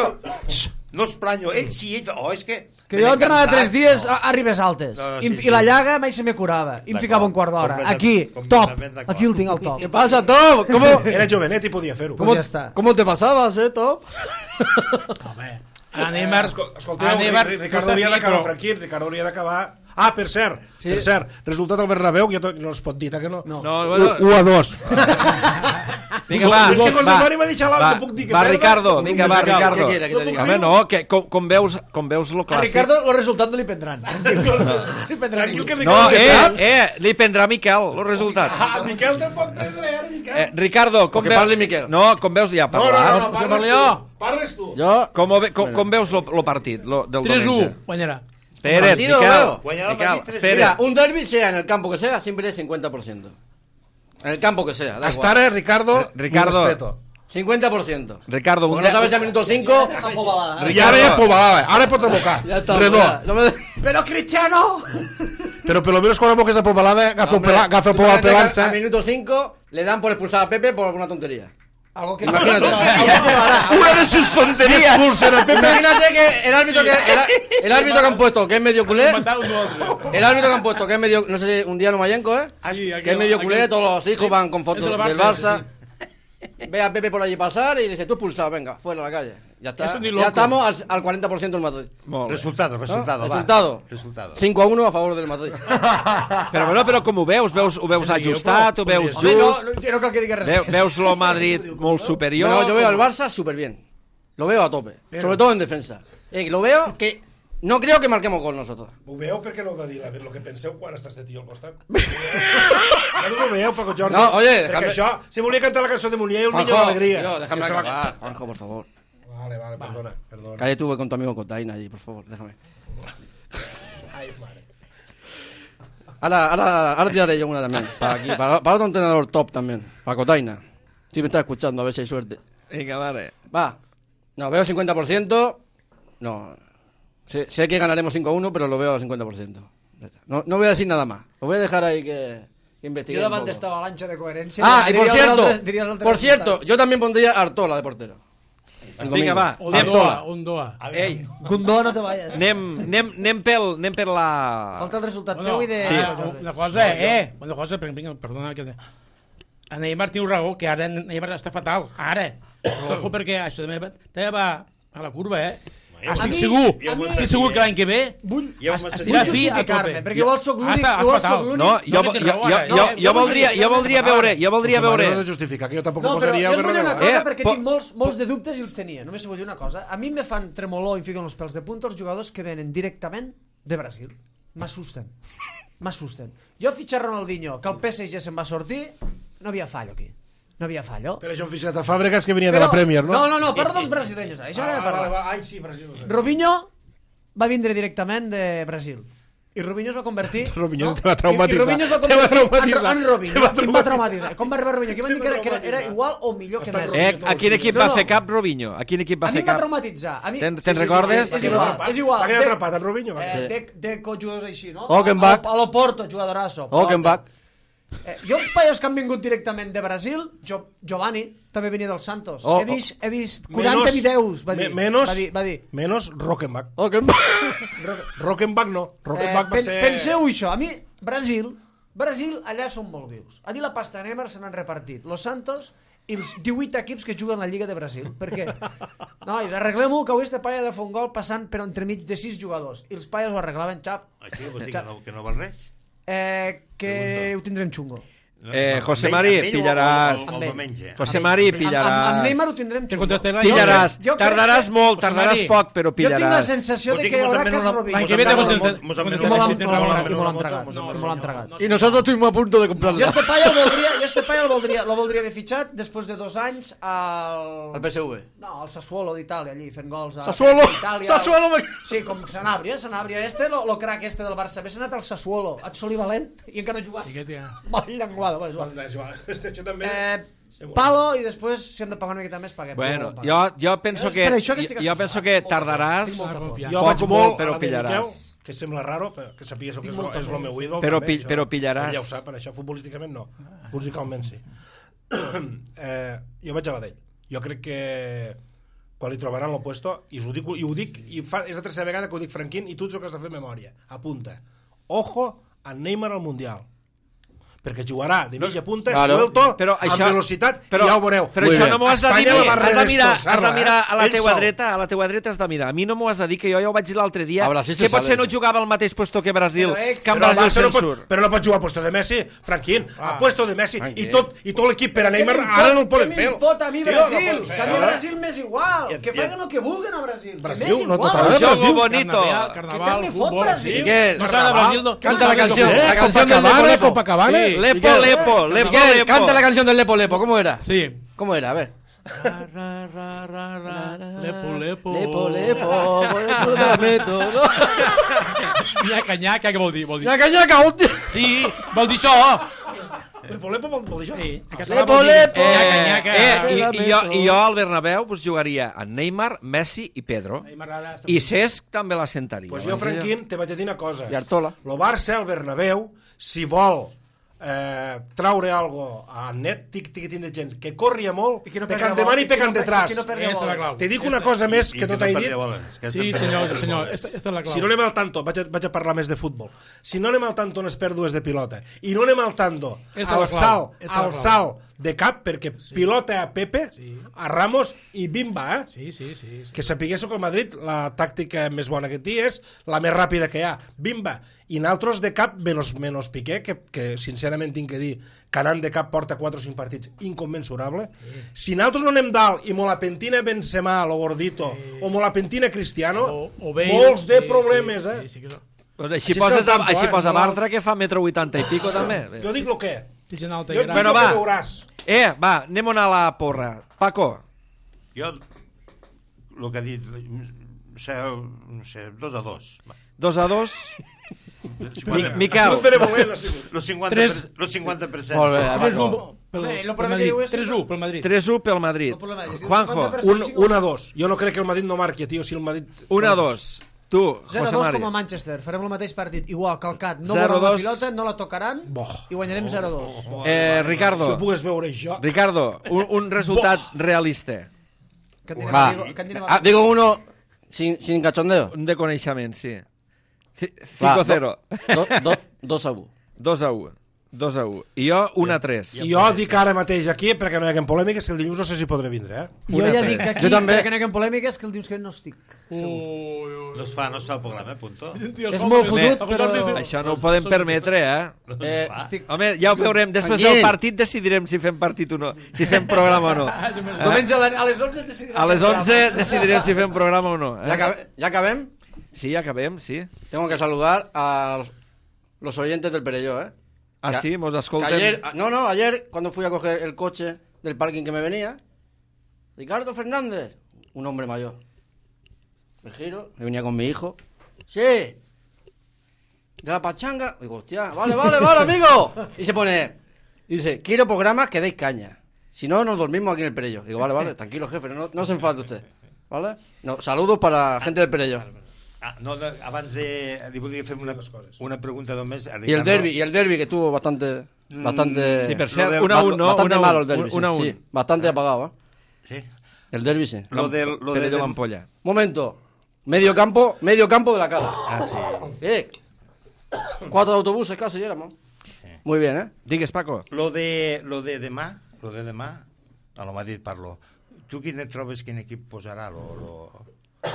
No els planyo. Ell sí, ell... Oh, és que... Que jo entrenava tres dies a ribes altes. I, i la llaga mai se me curava. I em ficava un quart d'hora. Aquí, top. Aquí el tinc al top. ¿Qué pasa, Top? ¿Cómo, Era jovenet i podia fer-ho. cómo, ya está. ¿Cómo te pasabas, eh, Top? Home, a Neymar... Escolteu, a Neymar Ricardo hauria d'acabar, Franquín, Ricardo hauria d'acabar... Ah, per cert, Sí. per cert, resultat al Bernabéu, ja no es pot dir, que no? No. No, bueno, u a dos. vinga, va. És que José va, Mari m'ha deixat l'altre, va, puc dir que va, perda? Ricardo, No puc vinga, dir va, que cal. Ricardo. ¿Qué quiere que te diga? Home, no, que com, com veus, com veus lo A clàssic... Ricardo el resultat no li prendran. Li prendran. Tranquil, que No, Ricardo que eh, sap. eh, li prendrà Miquel, el resultat. Ah, Miquel te'l pot prendre, eh, Miquel? Eh, Ricardo, com Que veus... parli Miquel. No, com veus ja, No, no, no, parlar. no, parles parles jo. tu. Parles tu. Yo... Com, ho ve- com, com veus lo, lo partit lo, del tres u, diumenge? guanyarà. Espera't, Partido, Miquel, luego. Guanyarà el Miquel, partit tres u. Mira, espera. un derbi, sea en el campo que sea, siempre es cincuenta por ciento. En el campo que sea, da Hasta igual. ara, Ricardo, Ricardo. mi respeto. cincuenta por ciento. Ricardo, un... Porque no sabes al minuto cinco... I ara ja pobalada, ara pots abocar. Ya está. Redó. mira, No me... Però Cristiano! Però per lo menos quan aboques a pobalada, agafa el Hombre, pela- agafa el tú pobal imagínate que pelança. Al minuto cinco le dan por expulsar a Pepe por alguna tontería. Algo que... Imagínate. Una de sus tonterías. Expulsen a Pepe. Imagínate que el árbitro que el, el árbitro que han puesto, que es medio culé, Matar un altre. el árbitro que han puesto, que es medio, no sé si un día no Mayenco, ¿eh? Sí, Que es medio culé, todos los hijos van con fotos Es del del Barça, Barça. Ve a Pepe por allí pasar y le dice, tú expulsado, venga, fuera a la calle. Ya está. Eso ni Ya loco. estamos al, al cuarenta por ciento del Madrid. Molt bé. Resultado, resultado, ¿No? va. Resultado. Resultado. cinco a uno a favor del Madrid. Però, bueno, però com ho veus? Veus ho veus Sí, jo ajustat, ho podria veus ser. Home, no, just? no, jo no cal que digues res Veu, més. veus lo Madrid molt superior? Bueno, yo veo al Barça súper bien. Lo veo a tope. Sobre todo en defensa. Eh, lo veo que no creo que marquemos gol nosotros. Ho veieu perquè no heu de dir la- el que penseu quan estàs de tio al costat? No ho veieu, Paco Jordi? No, oye, Perquè déjame- això, si volia cantar la cançó de Munier, el niño Juanjo, d'alegria. tío, déjame I se va- acabar. Juanjo, por favor. Vale, vale, perdona, perdona. Cállate tú con tu amigo Cotaina allí, por favor, déjame. Ai, mare. Ahora, ahora, ahora tiraré yo una también. Para aquí, para, para otro entrenador top también. Para Cotaina. Si me está escuchando, a ver si hay suerte. Vinga, vale. Va. No, veo cincuenta por ciento. No. Sé, sé que ganaremos cinco a uno, pero lo veo al cincuenta por ciento. Ya está. No, no voy a decir nada más. Lo voy a dejar ahí que, que investiguen. Jo un davant poco. d'esta avalanxa de coherència... Ah, y por diria els cierto, altres- diria els altres por cierto, resultats. yo también pondría a Artola de portero. El Vinga, domingo. va. Un Anem, doa, un doa. ei, Gundó, no te vayas. anem, anem, anem, pel, anem per la... Falta el resultat Bueno, teu i de... Sí. ah, una cosa, eh, una cosa, per- vinga, perdona que... A Neymar tinc raó, que ara Neymar està fatal, ara. Ojo, perquè això també va, també va a la curva, eh? Estic mi- segur, a mi- estic segur que l'any que ve Vull, Ja ho es- m'està estirà vull fi a justificar-me, tope. perquè igual sóc l'únic... Has- has igual fatal. sóc l'únic... No, jo, No, jo, que jo, té raó, jo, ara. jo, No, jo voldria, jo voldria veure, jo voldria José Manuel veure... no es justifica, que jo tampoc No, però posaria jo el us vull dir una Bernabéu. cosa, Eh, perquè po- tinc molts, molts de dubtes i els tenia. Només us vull dir una cosa. A mi me fan tremolor i em fiquen els pèls de punta els jugadors que venen directament de Brasil. M'assusten. M'assusten. Jo fitxar Ronaldinho, que el P S G se'n va sortir, no havia fallo aquí. No havia fallo. Però això han fitxat a Fàbregas que venia de la Premier, no? No, no, no, parlo dels brasileños. Ara. Això Ah, ah, vale, parlar. va. Ai, sí, Brasil. no sé. Robinho va vindre directament de Brasil. I Robinho es va convertir... Robinho te va traumatitzar. I, i Robinho es va Te va convertir traumatitzar. en, en Robinho. Te va I em va traumatitzar. Com va arribar Robinho? Aquí van Te dir que era, que era, va era traumatitzar. igual o millor que Està Messi. Eh, a quin equip No, va no. fer cap Robinho? A quin equip va A mi fer em va cap? traumatitzar. A mi... Te'n te'n recordes? És igual, és igual. Va quedar De- atrapat en Robinho. va. Eh, Sí. de, de jugadors així, no? Ockenbach. A, a l'Oporto, jugadorasso. Ockenbach. Eh, jo els paios que han vingut directament de Brasil, jo, Giovanni, també venia del Santos. Oh, he vist, he vist quaranta Menos- videos, va dir. me- menos- va dir, va dir. Menos Rockenbach. Oh, que... Rockenbach no. Eh, Rockenbach va pen, ser... Penseu això, a mi, Brasil, Brasil, allà són molt vius. Allí la pasta Neymar se n'han repartit. Los Santos i els divuit equips que juguen a la Lliga de Brasil. Per què? Nois, arreglem-ho, que avui este paia de fer un gol passant per entremig de sis jugadors. I els paies ho arreglaven, xap. Així vols dir que no, que no val res? Eh, que ho tindrem xungo. Eh, José Amb ell- Mari, amb ell o- pillaràs. o- o- o Amb el ell. diumenge? José Mari, Amb, amb, amb pillaràs. Neymar ho tindrem Te xungo. contestaré Pillaràs. Jo crec Tardaràs que- molt, José tardaràs Mari, poc, però Jo tinc la pillaràs. sensació Vols de dir que hi mos haurà envenen cas una- Robinho. L'any que ve te Mos contestaré. envenen- mos I envenen me l'han- una- i me l'han- mos i me envenen l'han una tragat. moto, No, mos I me l'han tragat. no, Y nosotros estuvimos a punto de comprarlo. Jo este paia el voldria, jo este paia el voldria, lo voldria haver fitxat després de dos anys al... Al P S V. No, al Sassuolo d'Itàlia, allí, fent gols a... Sassuolo! a Itàlia. Sassuolo! me- Sí, com Sanabria, Sanabria. Este, lo, lo crack este del Barça. Haver anat al Sassuolo, et soli valent, i encara no ha jugat. Sí que té. Molt llenguada, bueno, és igual. És igual, això també... Eh, palo, i després, si hem de pagar una miqueta més, paguem. Bueno, jo, jo penso que, per això que estic jo penso que associat. tardaràs Tinc molta por. Jo poc vaig molt, molt però a la de pillaràs. Miquel, que sembla raro, però que sapigués que és, lo- és el meu ídol. Però també, pi- això. però pillaràs. Ell ja ho sap, en això futbolísticament no. Musicalment sí. eh, jo vaig a la d'ell. Jo crec que quan li trobaran l'opuesto, i ho dic, i ho dic i fa, és la tercera vegada que ho dic, Franquín, i tu ets el que has de fer memòria. Apunta. Ojo a Neymar al Mundial. Perquè jugarà de mitja punta, Claro. suelto, Però amb això- velocitat, però- i ja ho veureu. Però Muy això bé. no m'ho has de dir, Espanya la va has de mirar, has de redestrossar-la, mirar a la eh? teua Ell sol. dreta, a la teua dreta has de mirar. A mi no m'ho has de dir, que jo ja ho vaig dir l'altre dia, A Brasil se que potser sabe no eso. jugava al mateix puesto que Brasil, Però, ex, que en Però, el Brasil Barça no se'n pot, surt. però no pot jugar a puesto de Messi, Franquín, a puesto de Messi, i Tranquil. tot, i tot l'equip per a Neymar, Què ara no el poden què fer. m'importa a mi Tio, no Brasil? poden Que fer. a mi Brasil m'és igual. I- Que i- facin el que vulguin a Brasil. Brasil, Que m'és no igual. total. Això és Brasil, bonito. Carnaval, ¿Qué carnaval, tal me fot fútbol. Brasil? Miquel, No s'ha de Brasil, no. canta la canción, Eh, la canción del Lepo Copacabana, Lepo. Copacabana. Sí. Lepo, Miquel, lepo, lepo, Miquel, lepo. canta la canción del Lepo Lepo, ¿cómo era? Sí. ¿Cómo era? A ver. Ra, ra, ra, ra, ra. Lepo, lepo. Lepo, lepo, lepo, te la meto, no? Nyaca, nyaca, què vol dir? Vol dir... Nyaca, nyaca, hòstia. Sí, vol dir això. Lepo, lepo, vol, vol dir això? Sí, en català Lepo, vol dir... lepo. Nyaca, Eh, nyaca. eh, i, i, jo, I jo al Bernabéu pues, jugaria a Neymar, Messi i Pedro. I Cesc també la sentaria. Pues jo, Franquín, te vaig a dir una cosa. I Artola. Lo Barça, al Bernabéu, si vol eh, traure algo a net, tic, tic, tic de gent que corria molt, I que no pecant perdi de la man i bola, i que pecant no- detrás. i que no perdi la Esta és la bola. clau. Te dic una cosa més que no t'he dit. Sí, senyor, senyor, esta, esta és la clau. Si no anem al tanto, vaig a, vaig a parlar més de futbol. Si no anem al tanto en les pèrdues de pilota i no anem al tanto Esta al és la clau, salt, esta és la al clau. salt de cap, perquè pilota a Pepe, Sí. a Ramos i bimba, eh? Sí, sí, sí. sí. Que sapiguéssiu que el Madrid la tàctica més bona que té és la més ràpida que hi ha, bimba, i naltros de cap menos, menos Piqué, que, que sincerament tinc que dir que anant de cap porta quatre o cinc partits inconmensurable. Si naltros no anem dalt i mo la pentina Benzema, lo gordito, o mo la pentina Cristiano, O, o Bale, molts de sí, problemes, sí, eh? Sí, sí, que no. Pues Així així, és poses, que el campo, així eh, posa no- Bartra, que fa metro vuitanta i pico també. Jo dic lo que. Sí, gent alta Jo i et dic gran. Bueno, lo va. que veuràs. Eh, va, anem a anar a la porra. Paco, Jo, el que ha dit, no sé, no sé, dos a dos. dos a dos. cinquanta, Mi- Miquel. Ha sigut benevolent, ha sigut. Lo cinquanta, Tres. per, lo cinquanta per cent. Molt bé, tres u Paco. pel, Home, lo pel problema que Madrid. diu és- tres u pel Madrid. tres u pel Madrid. No problema, jo dic Juanjo, cinquanta per cent. Un, un a dos. Jo no crec que el Madrid no marqui, tio. Si el Madrid... un a dos. Tu, zero a José dos com a Mario. Manchester. Farem el mateix partit. Igual, calcat. No zero a veuran la dos. pilota, no la tocaran Boh. i guanyarem zero a dos. Eh, Si Ricardo, ho pogués veure jo... Ricardo, un, un resultat realista. Que en Va. direm- que en direm- Ah, digo uno sin, sin cachondeo. Un de coneixement, sí. Va, cinco a cero. do- do- do- dos a u. dos a u. dos a u. I jo, un a tres. I jo dic ara mateix aquí, perquè no hi haguen polèmiques, que el dilluns no sé si podré vindre, eh? Jo Una ja tres. dic aquí, Jo també. perquè no hi ha polèmiques, que el dius que no estic. No es fa, no es fa el programa, eh, punto. És molt fotut, però... Això no ho podem permetre, eh? No es Eh, fa. Estic... Home, ja ho veurem. Després Tranquil. del partit decidirem si fem partit o no. Si fem programa o no. Diumenge a la- a les onze es decidirà. A les si onze programa. decidirem si fem programa o no. ¿Ya, Eh? acabe- ¿Ya acabem? Sí, ja acabem, sí. Tengo que saludar a los, los oyentes del Perelló, ¿eh? Ah, Que- sí, mos Que escolten. ayer, no, no, ayer cuando fui a coger el coche del parking que me venía, Ricardo Fernández, un hombre mayor. Me giro, me venía con mi hijo. Sí. De la pachanga. Digo, hostia, vale, vale, vale, amigo. Y se pone, dice, quiero programas que deis caña. Si no, nos dormimos aquí en el Perelló. Digo, vale, vale, tranquilo, jefe, no, no se enfade usted. ¿Vale? No, saludos para la gente del Perelló. Ah, no, no, abans de... Li voldria fer una, una pregunta només. A Y el Ricardo. derbi, y el derbi que estuvo bastante, bastante, Sí, per Lo cert, del- un a un, no? bastante un a un, malo el derbi. un a un. Sí, sí, bastante apagado, ¿eh? Sí. El derbi sí. Lo del... Lo Pere de, de l'ampolla. Momento. Medio campo, medio campo de la cara. Ah, sí. Eh. Cuatro autobuses casi éramos. Muy bien, ¿eh? Digues, Paco. Lo de, lo de demà, lo de demà, a lo Madrid parlo. Tu quin et trobes, quin equip posarà? Lo, lo...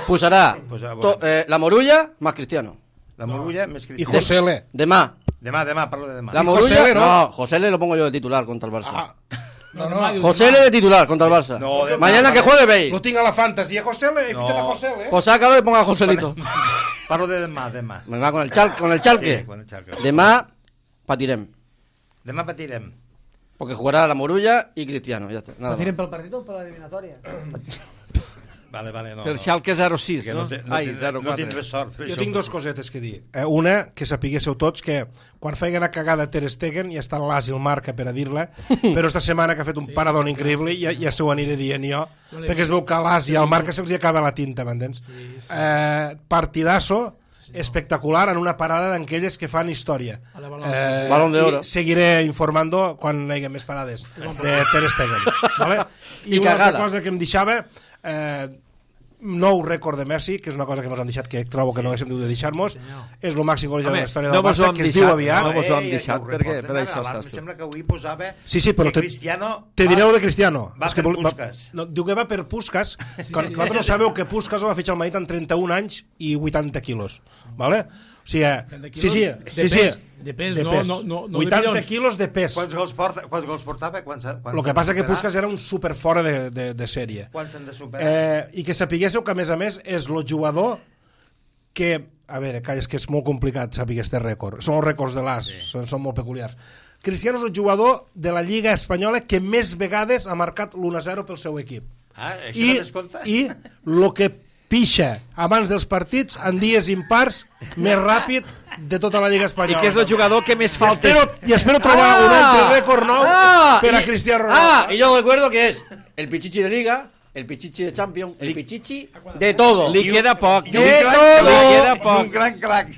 Pusará Pues, ah, to- bueno. eh, la Morulla más Cristiano. La Morulla més I Cristiano. José L. Demá. Demà, demà, parlo de demà. La ¿Y Morulla. José L, no? no, José L lo pongo yo de titular contra el Barça. Ah, no, no. José L de titular contra el Barça. No, de- Mañana que juegue Bale. Lo tinc a la fantasy. A José L, he No. fitxat a José L, eh? Pues sácalo y ponga a Joselito. Parlo de demà, demà. Me va con el chal, con el chalque. Sí, con el Xalque. Demá patirem. Demà patirem. Porque jugará la Morulla y Cristiano. Ya está. Nada Patirem más. pel partit o per l'eliminatòria? Vale, vale, no, Per no. Schalke zero sis, Perquè no? no, te- no, Ai, tindré- zero no quatre. tindré sort. per Jo això. tinc dos cosetes que dir. Eh, una, que sapiguéssiu tots que quan feia una cagada Ter Stegen ja està l'as i el marca per a dir-la, però esta setmana que ha fet un paradón increïble ja, ja se ho aniré dient jo, perquè es veu que l'as i el marca se'ls hi acaba la tinta, m'entens? Eh, partidasso espectacular en una parada d'aquelles que fan història. Eh, Balón d'Oro. I seguiré informando quan hi hagi més parades de Ter Stegen. Vale? I, I una altra cagades. cosa que em deixava... Eh, nou rècord de Messi, que és una cosa que ens han deixat, que trobo que no haguéssim dut de deixar-nos, és el màxim golejador de la història no del mos ho Barça, hem que es deixat, diu aviat. no mos ho hem Eh, ja deixat, ho perquè reporten per ara, això abans estàs em tu. sembla que avui posava Sí, sí, però que te- Cristiano Te diré el de Cristiano. va És que per vol- Puskas. no, diu que va per Puskas. Quan, vosaltres no sabeu que Puskas ho va fitxar al Madrid en trenta-un anys i vuitanta quilos. Vale? O sigui, sí, sí, De sí, sí. pes, de pes, no, no, no, no de vuitanta milions. quilos de pes. Quants gols, porta, quants gols portava? Quants, quants El que han passa de que superar? Puskas era un super fora de, de, de sèrie. Quants han de superar? Eh, I que sapiguéssiu que, a més a més, és el jugador que... A veure, calla, és que és molt complicat saber aquest rècord. Són els rècords de l'As, sí. són, són molt peculiars. Cristiano és el jugador de la Lliga Espanyola que més vegades ha marcat l'u a zero pel seu equip. Ah, això I, no descompta? I el que pixa abans dels partits en dies impars més ràpid de tota la Lliga I Espanyola. que és el jugador que més I faltes... espero, I espero trobar Ah! un altre rècord nou Ah, per a y- Cristiano Ronaldo. Ah, y yo recuerdo que es el pichichi de Liga, el pichichi de Champions, el pichichi de todo. Li queda poc. I un De gran todo. Li queda crac, i poc. un gran crac.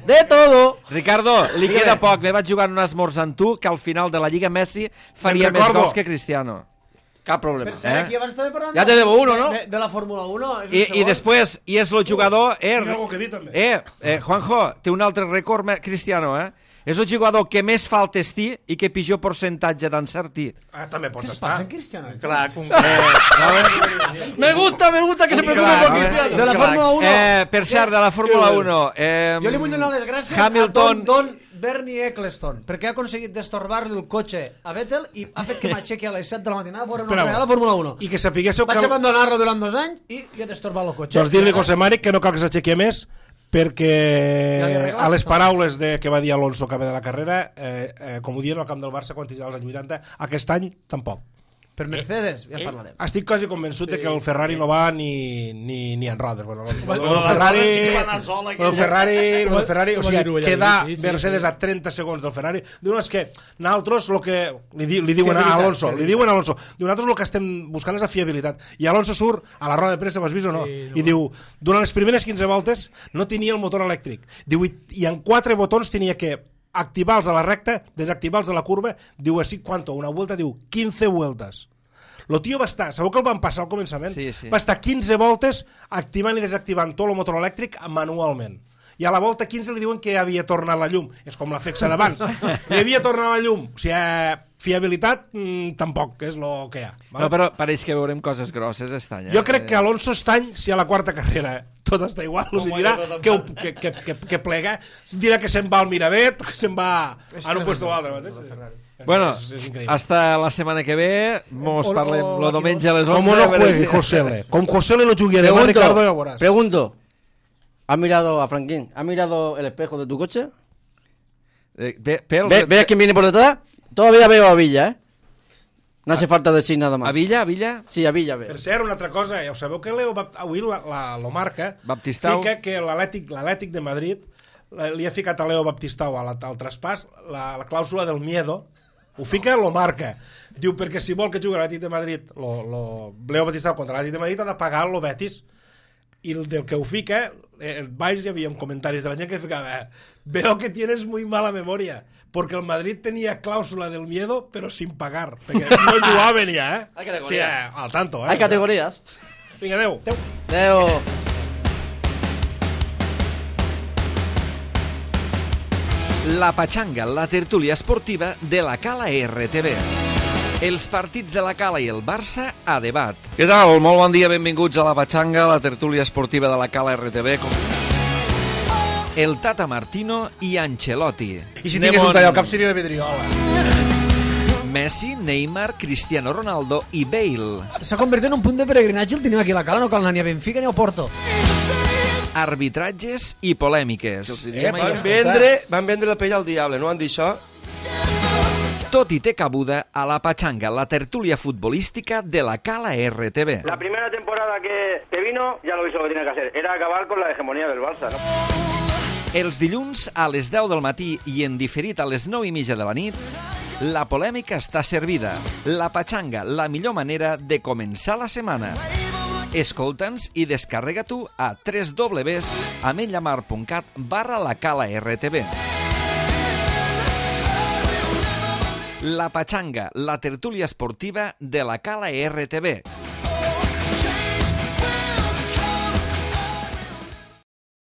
De todo. Ricardo, li Dígame. queda poc. Me vaig jugar en un esmorzar amb tu que al final de la Lliga Messi faria Te'n més recordo. gols que Cristiano. Cap problema. Per cert, Eh? aquí abans també parlàvem Ja te debo uno, no? De, de la Fórmula uno. És un I, segon. i després, i és el jugador... Eh, Tinc alguna cosa a dir, també. eh, eh, Juanjo, té un altre rècord, me- Cristiano, eh? És el jugador que més faltes té i que pitjor percentatge d'encertir. Ah, també pot Què es estar. passa en Cristiano? Crac, un crac. Me gusta, me gusta que se preocupe crack, por eh. Cristiano. De la Crac. Fórmula uno. Eh, per cert, de la Fórmula uno... Eh, Jo li vull donar les gràcies Hamilton... a Don, Don Bernie Eccleston, perquè ha aconseguit destorbar-li el cotxe a Vettel i ha fet que m'aixequi a les set de la matinada a veure una Espera, altra vegada la Fórmula uno. I que sapiguéssiu que... Vaig abandonar-lo durant dos anys i ja he destorbat el cotxe. Doncs dir-li a José Mari que no cal que s'aixequi més, perquè Ja li he arreglat a les tot. paraules de, que va dir Alonso a acabar de la carrera, eh, eh, com ho diuen al camp del Barça quan tenia els anys vuitanta, aquest any tampoc. Per Mercedes, ja en parlarem. Estic quasi convençut sí, de que el Ferrari no va ni, ni, ni en rodes. Bueno, el, el, el, el Ferrari, sí que va anar sol, aquell. el Ferrari, el Ferrari, o Ho va sigui, dir-ho ella, quedar sí, sí, Mercedes sí. a trenta segons del Ferrari. Diuen és que nosaltres el que li, di, li diuen a Fiabilitat, Alonso, li fiabilitat. diuen a Alonso, diu, nosaltres el que estem buscant és la fiabilitat. I Alonso surt a la roda de premsa, ho has vist o no? Sí, no. I diu, durant les primeres quinze voltes no tenia el motor elèctric. Diu, i, i en quatre botons tenia que activar-los a la recta, desactivar-los a la curva, diu així, quanto? Una vuelta, diu, quinze vueltes. El tio va estar, sabeu que el van passar al començament? Sí, sí. Va estar quinze voltes activant i desactivant tot el motor elèctric manualment. I a la volta quinze li diuen que havia tornat la llum. És com la fexa d'abans. Li havia tornat la llum. O sigui, eh, fiabilitat, mm, tampoc, és el que hi ha. Vale? No, però pareix que veurem coses grosses aquest any. Eh? Jo crec que Alonso estany, si a la quarta carrera tot està igual, us Com dirà ha ido que, ho- tot que, que, que, que plega, dirà que se'n va al Miravet, que se'n va a un puesto o altre. Bueno, és, és increïble. hasta la setmana que ve, mos O- parlem o lo d'aquí diumenge a les onze. Com no a veure juegui si- José L. Com José L no jugui además Pregunto, Ricardo, ya verás. pregunto. ¿Has mirado a Franklin? ¿Has mirado el espejo de tu coche? Eh, ve, pel, ¿Ve- ¿Ves quién viene por detrás? Todavía veo a Villa, ¿eh? No hace falta decir nada más. A Villa, a Villa? Sí, a Villa veo. Per cert, una altra cosa, ja ho sabeu que Leo Bapt- avui la, la, lo marca, Baptistau. fica que l'Atlètic l'Atlètic de Madrid la- li ha ficat a Leo Baptistau a la, al traspàs la, la clàusula del miedo, ho fica, lo marca. Diu, perquè si vol que jugui a l'Atlètic de Madrid, lo, lo, Leo Baptistau contra l'Atlètic de Madrid ha de pagar lo Betis. I el del que ho fica, eh, baix hi havia comentaris de la gent que ficava, eh, veo que tienes muy mala memoria, porque el Madrid tenía cláusula del miedo, pero sin pagar, perquè no jugaven ja, eh? Hay categoría. Sí, eh, al tanto, eh? Hay categorías. Vinga, adeu. Leo. La Pachanga, la tertúlia esportiva de la Cala R T V. Els partits de la Cala i el Barça a debat. Què tal? Molt bon dia, benvinguts a la Pachanga, la tertúlia esportiva de la Cala R T V. Com... El Tata Martino i Ancelotti. I si tingués un tall al cap seria la vidriola. Messi, Neymar, Cristiano Ronaldo i Bale. S'ha convertit en un punt de peregrinatge, el tenim aquí a la Cala, no cal anar ni a Benfica ni a Porto. Arbitratges i polèmiques. Eh, van, vendre, van vendre la pell al diable, no han dit això? Tot i té cabuda a la Pachanga, la tertúlia futbolística de la Cala R T V. La primera temporada que, que vino ya lo hizo lo que tenía que hacer. Era acabar con la hegemonía del Barça, ¿no? Els dilluns a les deu del matí i en diferit a les nou i mitja de la nit, la polèmica està servida. La Pachanga, la millor manera de començar la setmana. Escolta'ns i descarrega-t'ho a w w w punt ametlla punt cat barra la Cala R T V. La Pachanga, la tertúlia esportiva de la Cala R T V.